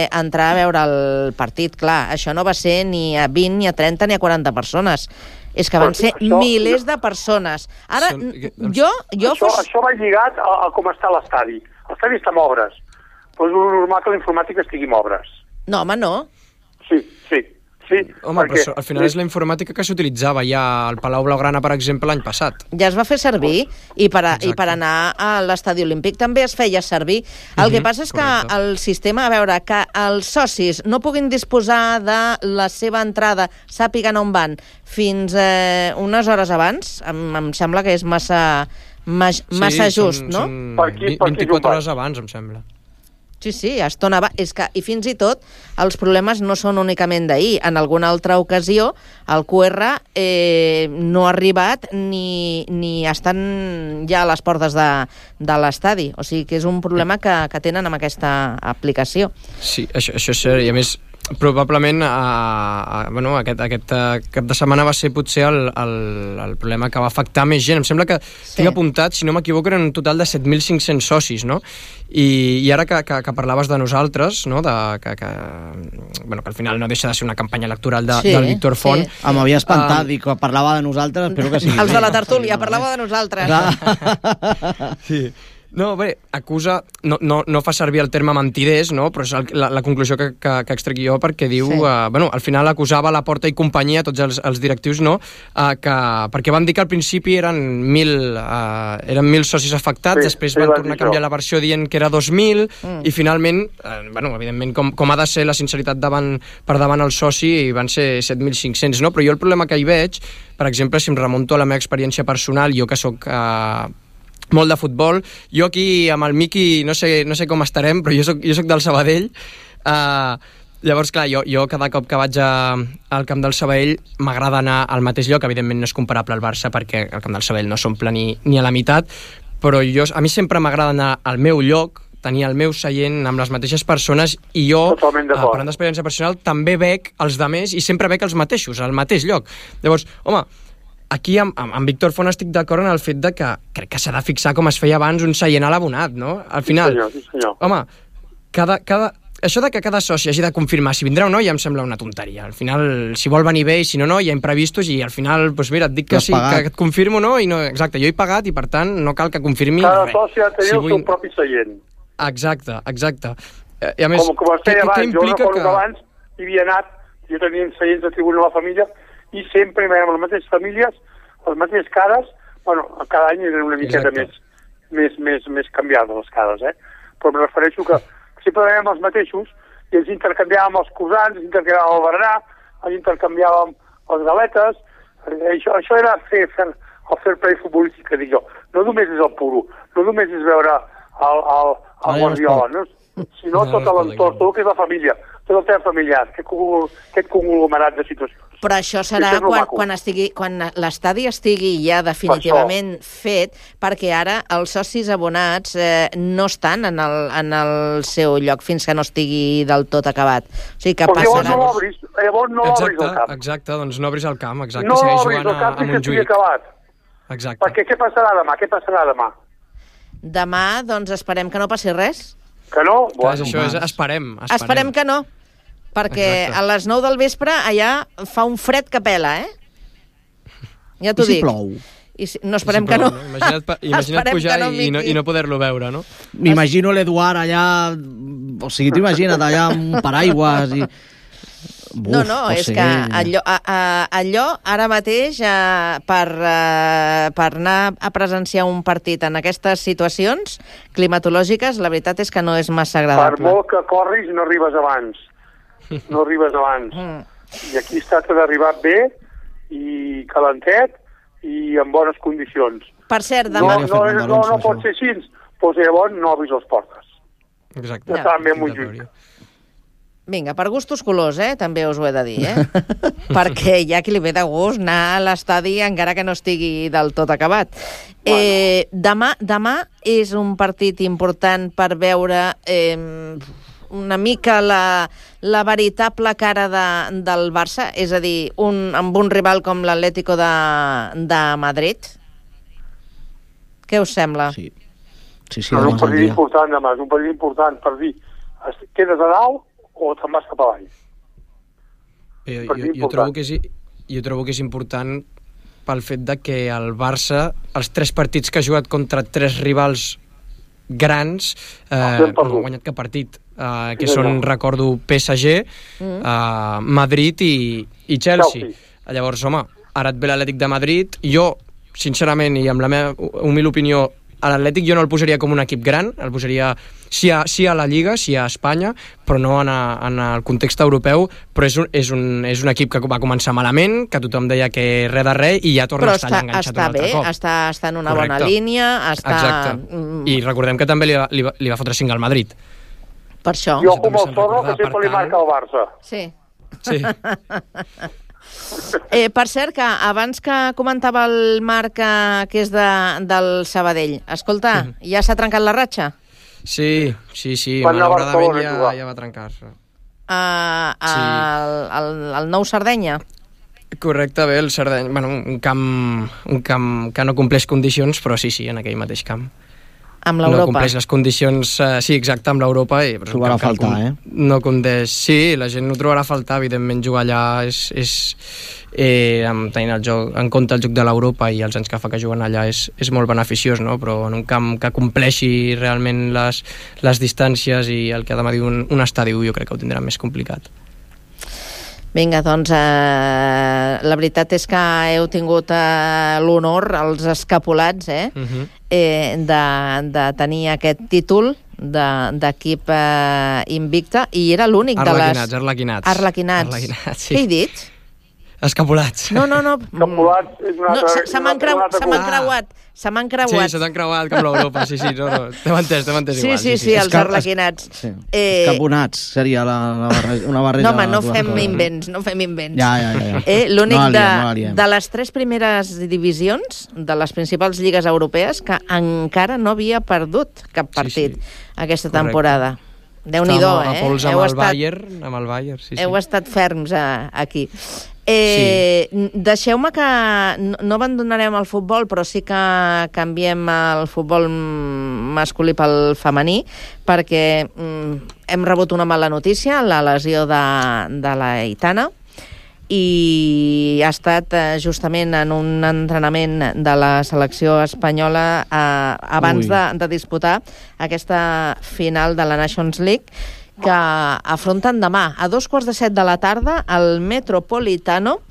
entrar a veure el partit. Clar, això no va ser ni a 20, ni a 30, ni a 40 persones. És que van ser milers de persones. Ara, Això va lligat a com està l'estadi. L'estadi està en obres, però és normal que la informàtica estigui en obres. No, home, no. Sí. Sí, home, però al final és la informàtica que s'utilitzava ja al Palau Blaugrana, per exemple, l'any passat. Ja es va fer servir i per anar a l'estadi olímpic també es feia servir. El que passa és que el sistema, a veure, que els socis no puguin disposar de la seva entrada, sàpiguen on van, fins unes hores abans, em sembla que és massa just, no? Per 24 hores abans, em sembla. Sí, estona va. És que, i fins i tot, els problemes no són únicament d'ahir. En alguna altra ocasió, el QR no ha arribat ni estan ja a les portes de l'estadi. O sigui que és un problema que tenen amb aquesta aplicació. Sí, això és cert. I a més, probablement aquest cap de setmana va ser potser el problema que va afectar més gent. Em sembla que tinc apuntat, si no m'equivoco, eren un total de 7.500 socis, no? I ara que parlaves de nosaltres, no? Que al final no deixa de ser una campanya electoral del Víctor Font. M'havia espantat, dic, parlava de nosaltres, espero que sí. Els de la tertúlia, parlava de nosaltres. Sí. No, bé, acusa, no fa servir el terme mentiders, no? Però és la conclusió que extrec jo, perquè diu, al final acusava la Porta i companyia, tots els directius, no? Perquè van dir que al principi eren 1.000 socis afectats, després van tornar a canviar la versió dient que era 2.000, i finalment, evidentment, com ha de ser la sinceritat per davant el soci, van ser 7.500, no? Però jo el problema que hi veig, per exemple, si em remunto a la meva experiència personal, jo que soc molt de futbol, jo aquí amb el Miqui no sé com estarem, però jo soc del Sabadell. Llavors, clar, jo cada cop que vaig al camp del Sabadell m'agrada anar al mateix lloc. Evidentment no és comparable al Barça perquè el camp del Sabadell no s'omple ni a la meitat, però a mi sempre m'agrada anar al meu lloc, tenir el meu seient amb les mateixes persones, i jo, parlant d'experiència personal, també veig els demés i sempre veig els mateixos, al mateix lloc. Llavors, home, aquí amb Víctor Font estic d'acord en el fet de que crec que s'ha de fixar com es feia abans un seient a l'abonat, no? Al final, sí, senyor. Home, això de que cada soci hagi de confirmar si vindrà o no ja em sembla una tonteria. Al final, si vol venir bé i si no, hi ha imprevistos, i al final, doncs mira, et dic que sí, que et confirmo, no? I no, exacte, jo he pagat i per tant no cal que confirmi res. Cada soci ha de tenir el seu propi seient. Exacte. I a més, com es feia abans, jo recordo que abans hi havia anat, jo tenia seients de tribuna a la família, i sempre hi veiem les mateixes famílies, les mateixes cares, cada any eren una miqueta més canviades les cares, però em refereixo que sempre veiem els mateixos i ens intercanviàvem els cosans, ens intercanviàvem el berenar, ens intercanviàvem les galetes. Això era el fair play futbolístic, que dic jo. No només és el puro, no només és veure el Guardiola, sinó tot l'entorn, tot el que és la família, tot el tema familiar, aquest conglomerat de situacions. Però això serà quan l'estadi estigui ja definitivament fet, perquè ara els socis abonats no estan en el seu lloc fins que no estigui del tot acabat. O sigui que passarà... Llavors no obris el camp. Exacte, doncs no obris el camp, exacte. No obris el camp fins que estigui acabat. Exacte. Perquè què passarà demà? Demà, doncs esperem que no passi res. Que no? Clar, això és esperem. Esperem que no. Perquè a les 9 del vespre allà fa un fred que pela, Ja t'ho dic. I si plou? No, esperem que no. Imagina't pujar i no poder-lo veure, no? M'imagino l'Eduard allà... O sigui, t'ho imagina't allà amb un paraigües i... No, és que allò ara mateix per anar a presenciar un partit en aquestes situacions climatològiques, la veritat és que no és massa agradable. Per molt que corris no arribes abans. I aquí es tracta d'arribar bé i calentet i en bones condicions. Per cert, demà... No pot ser així, doncs llavors no obris les portes. Exacte. Ja estan ben molt lluny. Vinga, per gustos colors, també us ho he de dir, perquè hi ha qui li ve de gust anar a l'estadi encara que no estigui del tot acabat. Demà és un partit important per veure una mica la veritable cara del Barça, és a dir, amb un rival com l'Atlético de Madrid. Què us sembla? Sí, és un partit important demà, és un partit important per dir, quedes a dalt o te'n vas cap avall. Jo trobo que és important pel fet de que el Barça, els 3 partits que ha jugat contra 3 rivals grans, no ha guanyat cap partit. que són, recordo, PSG, Madrid i Chelsea. Llavors, home, ara et ve l'Atlètic de Madrid. Jo, sincerament, i amb la meva humil opinió, a l'Atlètic jo no el posaria com un equip gran, el posaria sí a la Lliga, sí a Espanya, però no en el context europeu, però és un equip que va començar malament, que tothom deia que res de res, i ja torna a estar enganxat un altre cop. Està en una bona línia. Exacte. I recordem que també li va fotre 5 al Madrid. Per això. Jo com el Zorro, que sempre li marca el Barça. Sí. Sí. Per cert, que abans que comentava el Marc, que és del Sabadell, escolta, ja s'ha trencat la ratxa? Sí, malauradament ja va trencar-se. El nou Sardenya? Correcte, bé, el Sardenya, bueno, un camp que no compleix condicions, però sí, en aquell mateix camp. Amb l'Europa. No compleix les condicions, sí, exacte, amb l'Europa. Trobarà a faltar, No condeix. Sí, la gent ho trobarà a faltar, evidentment jugar allà tenint el joc, en compte el joc de l'Europa i els anys que fa que juguen allà és molt beneficiós, no? Però en un camp que compleixi realment les distàncies i el que ha de medir un estadi, jo crec que ho tindrà més complicat. Vinga, doncs la veritat és que heu tingut l'honor, els escapulats, de tenir aquest títol d'equip invicte, i era l'únic de les... Arlequinats. Sí. Què he dit? Escapulats. No. Escapulats és una altra... Se m'han creuat. Sí, se t'han creuat com l'Europa, sí, no. T'hem entès igual. Sí, els arlequinats. Escaponats seria una barreja... No, home, no fem invents. Ja. L'únic de les 3 primeres divisions de les principals lligues europees que encara no havia perdut cap partit aquesta temporada. Déu-n'hi-do, a pols amb el Bayern, sí. Heu estat ferms aquí. Deixeu-me que no abandonarem el futbol, però sí que canviem el futbol masculí pel femení, perquè hem rebut una mala notícia, la lesió de la Aitana, i ha estat justament en un entrenament de la selecció espanyola abans de disputar aquesta final de la Nations League, que afronten demà a 2:15 de la tarda al Metropolitano.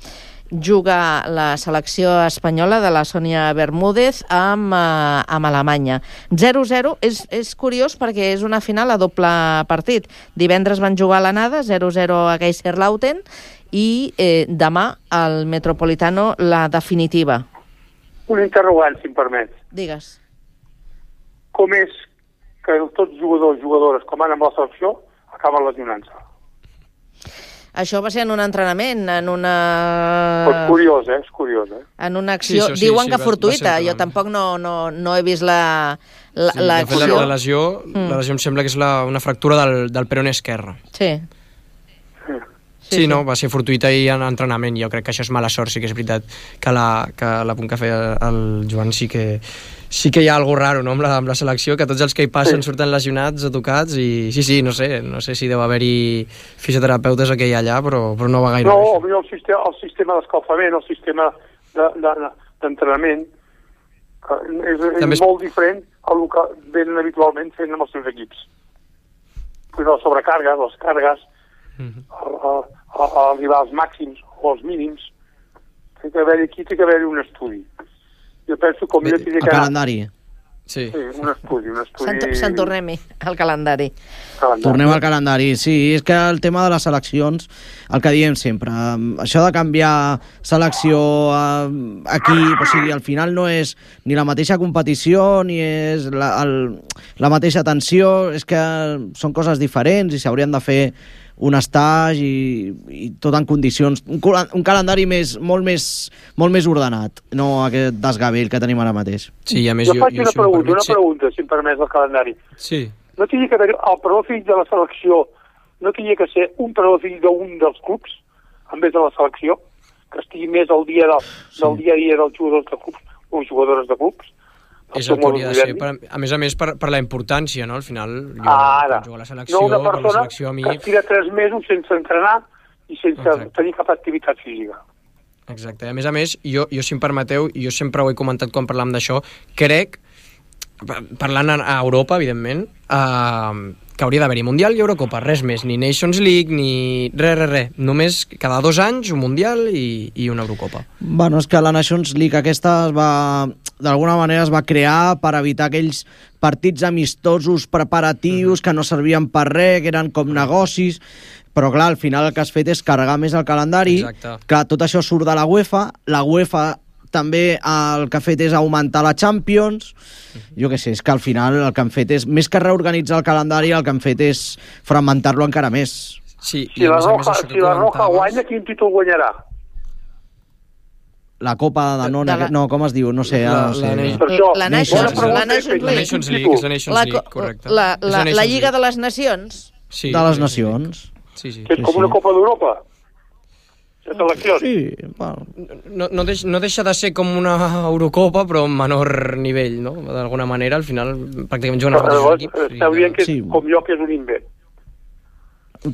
Juga la selecció espanyola de la Sònia Bermúdez amb Alemanya. 0-0, és curiós perquè és una final a doble partit. Divendres van jugar a l'anada, 0-0 a Kaiserslautern, i demà al Metropolitano la definitiva. Un interrogant, si em permets. Digues. Com és que tots jugadors, com van amb la selecció, acaben lesionant-se? Això va ser en un entrenament, en una... És curiós. En una acció, diuen que fortuïta, jo tampoc no he vist l'acció. La lesió em sembla que és una fractura del peroné esquerre. Sí, no, va ser fortuïta i en entrenament. Jo crec que això és mala sort, sí que és veritat que l'apunt que feia el Joan sí que hi ha alguna raro, no?, amb la selecció, que tots els que hi passen surten lesionats o tocats, i sí, no sé si deu haver-hi fisioterapeutes que hi ha allà, però no va gaire. No, el sistema d'escalfament, el sistema d'entrenament és molt diferent al que venen habitualment fent amb els seus equips. Les sobrecargues, les cargues, arribar als màxims o als mínims, té que haver-hi un estudi. Jo penso com jo tindria que anar... calendari. Sí, un estudi. Se'n tornem al calendari. Tornem al calendari, sí. És que el tema de les seleccions, el que diem sempre, això de canviar selecció a equip, o sigui, al final no és ni la mateixa competició, ni és la mateixa tensió, és que són coses diferents i s'haurien de fer un estatge i tot en condicions, un calendari molt més ordenat, no aquest desgavell que tenim ara mateix. Sí, a més, jo faig una pregunta, si em permets, del calendari. Sí. No tenia que haver el parador fill de la selecció, no tenia que ser un parador fill d'un dels clubs, en vez de la selecció, que estigui més al dia del dia a dia dels jugadors de clubs o jugadores de clubs. És el que hauria de ser, a més per la importància, no? Al final, jo jugo a la selecció, no una persona que tira 3 mesos sense entrenar i sense tenir cap activitat física. Exacte, a més, jo si em permeteu, jo sempre ho he comentat quan parlàvem d'això, crec parlant a Europa, evidentment, que hauria d'haver-hi Mundial i Eurocopa, res més, ni Nations League, ni res. Només cada 2 anys un Mundial i una Eurocopa. Bueno, és que la Nations League aquesta d'alguna manera es va crear per evitar aquells partits amistosos preparatius que no servien per res, que eren com negocis, però clar, al final el que has fet és carregar més el calendari. Exacte. Clar, tot això surt de la UEFA també el que ha fet és augmentar la Champions. Jo què sé, és que al final el que han fet és, més que reorganitzar el calendari, el que han fet és fragmentar-lo encara més. Sí, si la Roja guanya, quin títol guanyarà? La Copa de Danone, no, com es diu? No sé, la Nations League, correcte. La Lliga de les Nacions. De les Nacions. Que és com una Copa d'Europa. Sí, no deixa de ser com una Eurocopa, però en menor nivell, no? D'alguna manera, al final, pràcticament juguen els mateixos equips. Està dient que com jo, que és un invent. Jo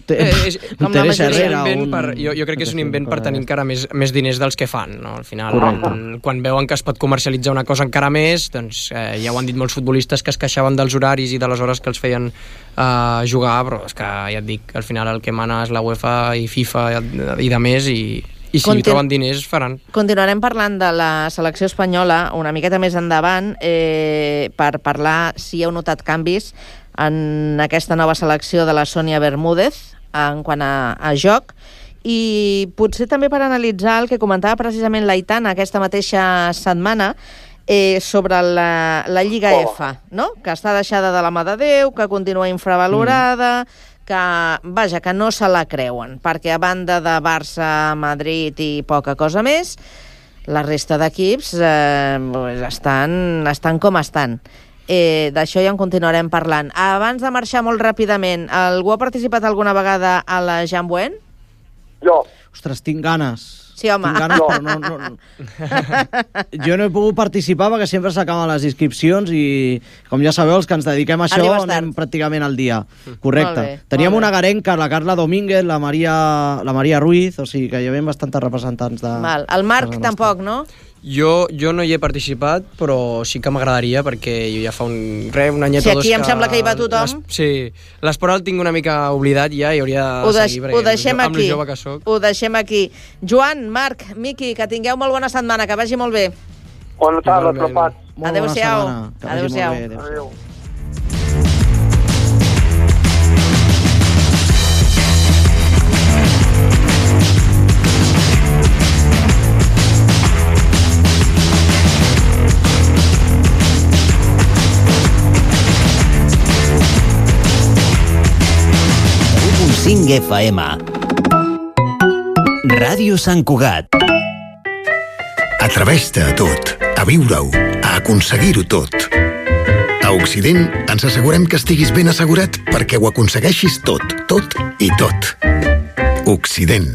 crec que és un invent per tenir encara més diners dels que fan, no? Al final, quan veuen que es pot comercialitzar una cosa encara més, doncs ja ho han dit molts futbolistes que es queixaven dels horaris i de les hores que els feien jugar, però és que ja et dic, al final el que mana és la UEFA i FIFA i de més, i si troben diners faran. Continuarem parlant de la selecció espanyola una miqueta més endavant, per parlar si heu notat canvis en aquesta nova selecció de la Sònia Bermúdez en quant a joc, i potser també per analitzar el que comentava precisament l'Aitana aquesta mateixa setmana sobre la Lliga F, no? Que està deixada de la mà de Déu, que continua infravalorada, que no se la creuen, perquè a banda de Barça, Madrid i poca cosa més, la resta d'equips estan com estan. D'això ja en continuarem parlant. Abans de marxar molt ràpidament, algú ha participat alguna vegada a la Jambuen? Jo. Ostres, tinc ganes. Sí, home. Tinc ganes, però no. Jo no he pogut participar perquè sempre s'acaben les inscripcions i, com ja sabeu, els que ens dediquem a això anem pràcticament al dia. Correcte. Teníem una garenca, la Carla Domínguez, la Maria Ruiz, o sigui que hi havia bastants representants de... El Marc tampoc, no? Jo no hi he participat, però sí que m'agradaria, perquè jo ja fa un anyet o dos que... Sí, aquí em sembla que hi va tothom. Sí, l'esport el tinc una mica oblidat ja i hauria de seguir, perquè amb lo jove que soc. Ho deixem aquí. Joan, Marc, Miqui, que tingueu molt bona setmana, que vagi molt bé. Bona tarda, tropats. Adéu-siau. Adéu-siau. Adéu. FM. Ràdio Sant Cugat. Atreveix-te a tot, a viure-ho, a aconseguir-ho tot. A Occident ens assegurem que estiguis ben assegurat perquè ho aconsegueixis tot, tot i tot. Occident.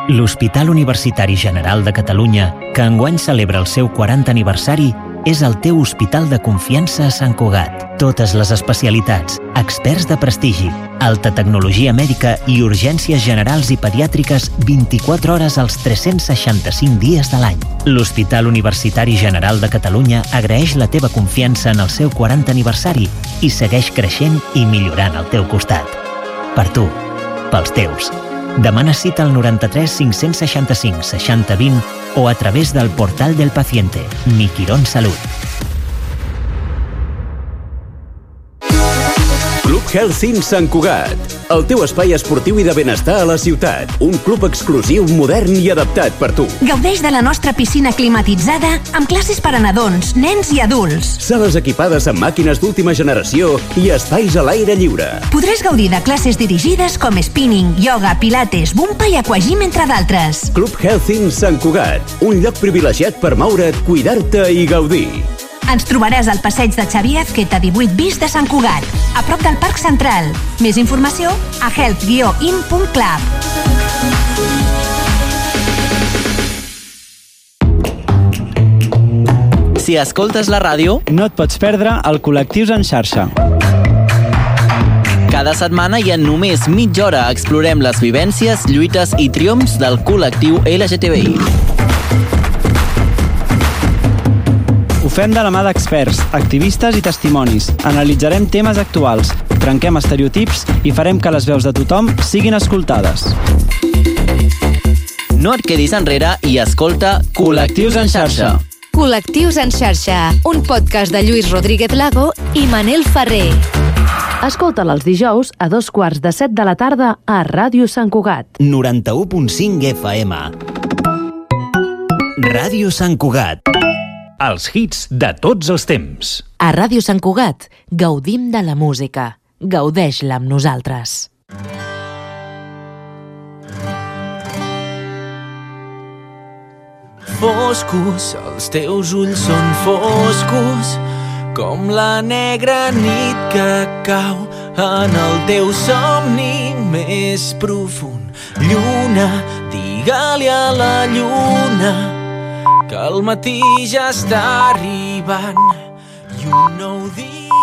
L'Hospital Universitari General de Catalunya, que enguany celebra el seu 40 aniversari, és el teu hospital de confiança a Sant Cugat. Totes les especialitats, experts de prestigi, alta tecnologia mèdica i urgències generals i pediàtriques 24 hores als 365 dies de l'any. L'Hospital Universitari General de Catalunya agraeix la teva confiança en el seu 40 aniversari i segueix creixent i millorant al teu costat. Per tu, pels teus. Demana cita al 93 565 60 20 o a través del portal del paciente Mi Quirón Salud. Club Health Sant Cugat, el teu espai esportiu i de benestar a la ciutat. Un club exclusiu, modern i adaptat per tu. Gaudeix de la nostra piscina climatitzada amb classes per a nadons, nens i adults. Sales equipades amb màquines d'última generació i espais a l'aire lliure. Podràs gaudir de classes dirigides com spinning, yoga, pilates, bumpa i aquagym, entre d'altres. Club Health Sant Cugat, un lloc privilegiat per moure't, cuidar-te i gaudir. Ens trobaràs al passeig de Xavier Azqueta 18 bis de Sant Cugat, a prop del Parc Central. Més informació a health-in.club. Si escoltes la ràdio, no et pots perdre el Col·lectius en xarxa. Cada setmana i en només mitja hora explorem les vivències, lluites i triomfs del col·lectiu LGTBI. fem de la mà d'experts, activistes i testimonis. Analitzarem temes actuals, trenquem estereotips i farem que les veus de tothom siguin escoltades. No et quedis enrere i escolta Col·lectius en xarxa. Col·lectius en xarxa, un podcast de Lluís Rodríguez Lago i Manel Ferrer. Escolta'l els dijous a 2:45 de la tarda a Ràdio Sant Cugat. 91.5 FM. Ràdio Sant Cugat. Els hits de tots els temps. A Ràdio Sant Cugat gaudim de la música. Gaudeix-la amb nosaltres. Foscos, els teus ulls són foscos, com la negra nit que cau en el teu somni més profund. Lluna, digue-li a la lluna que el matí ja està arribant i un nou dia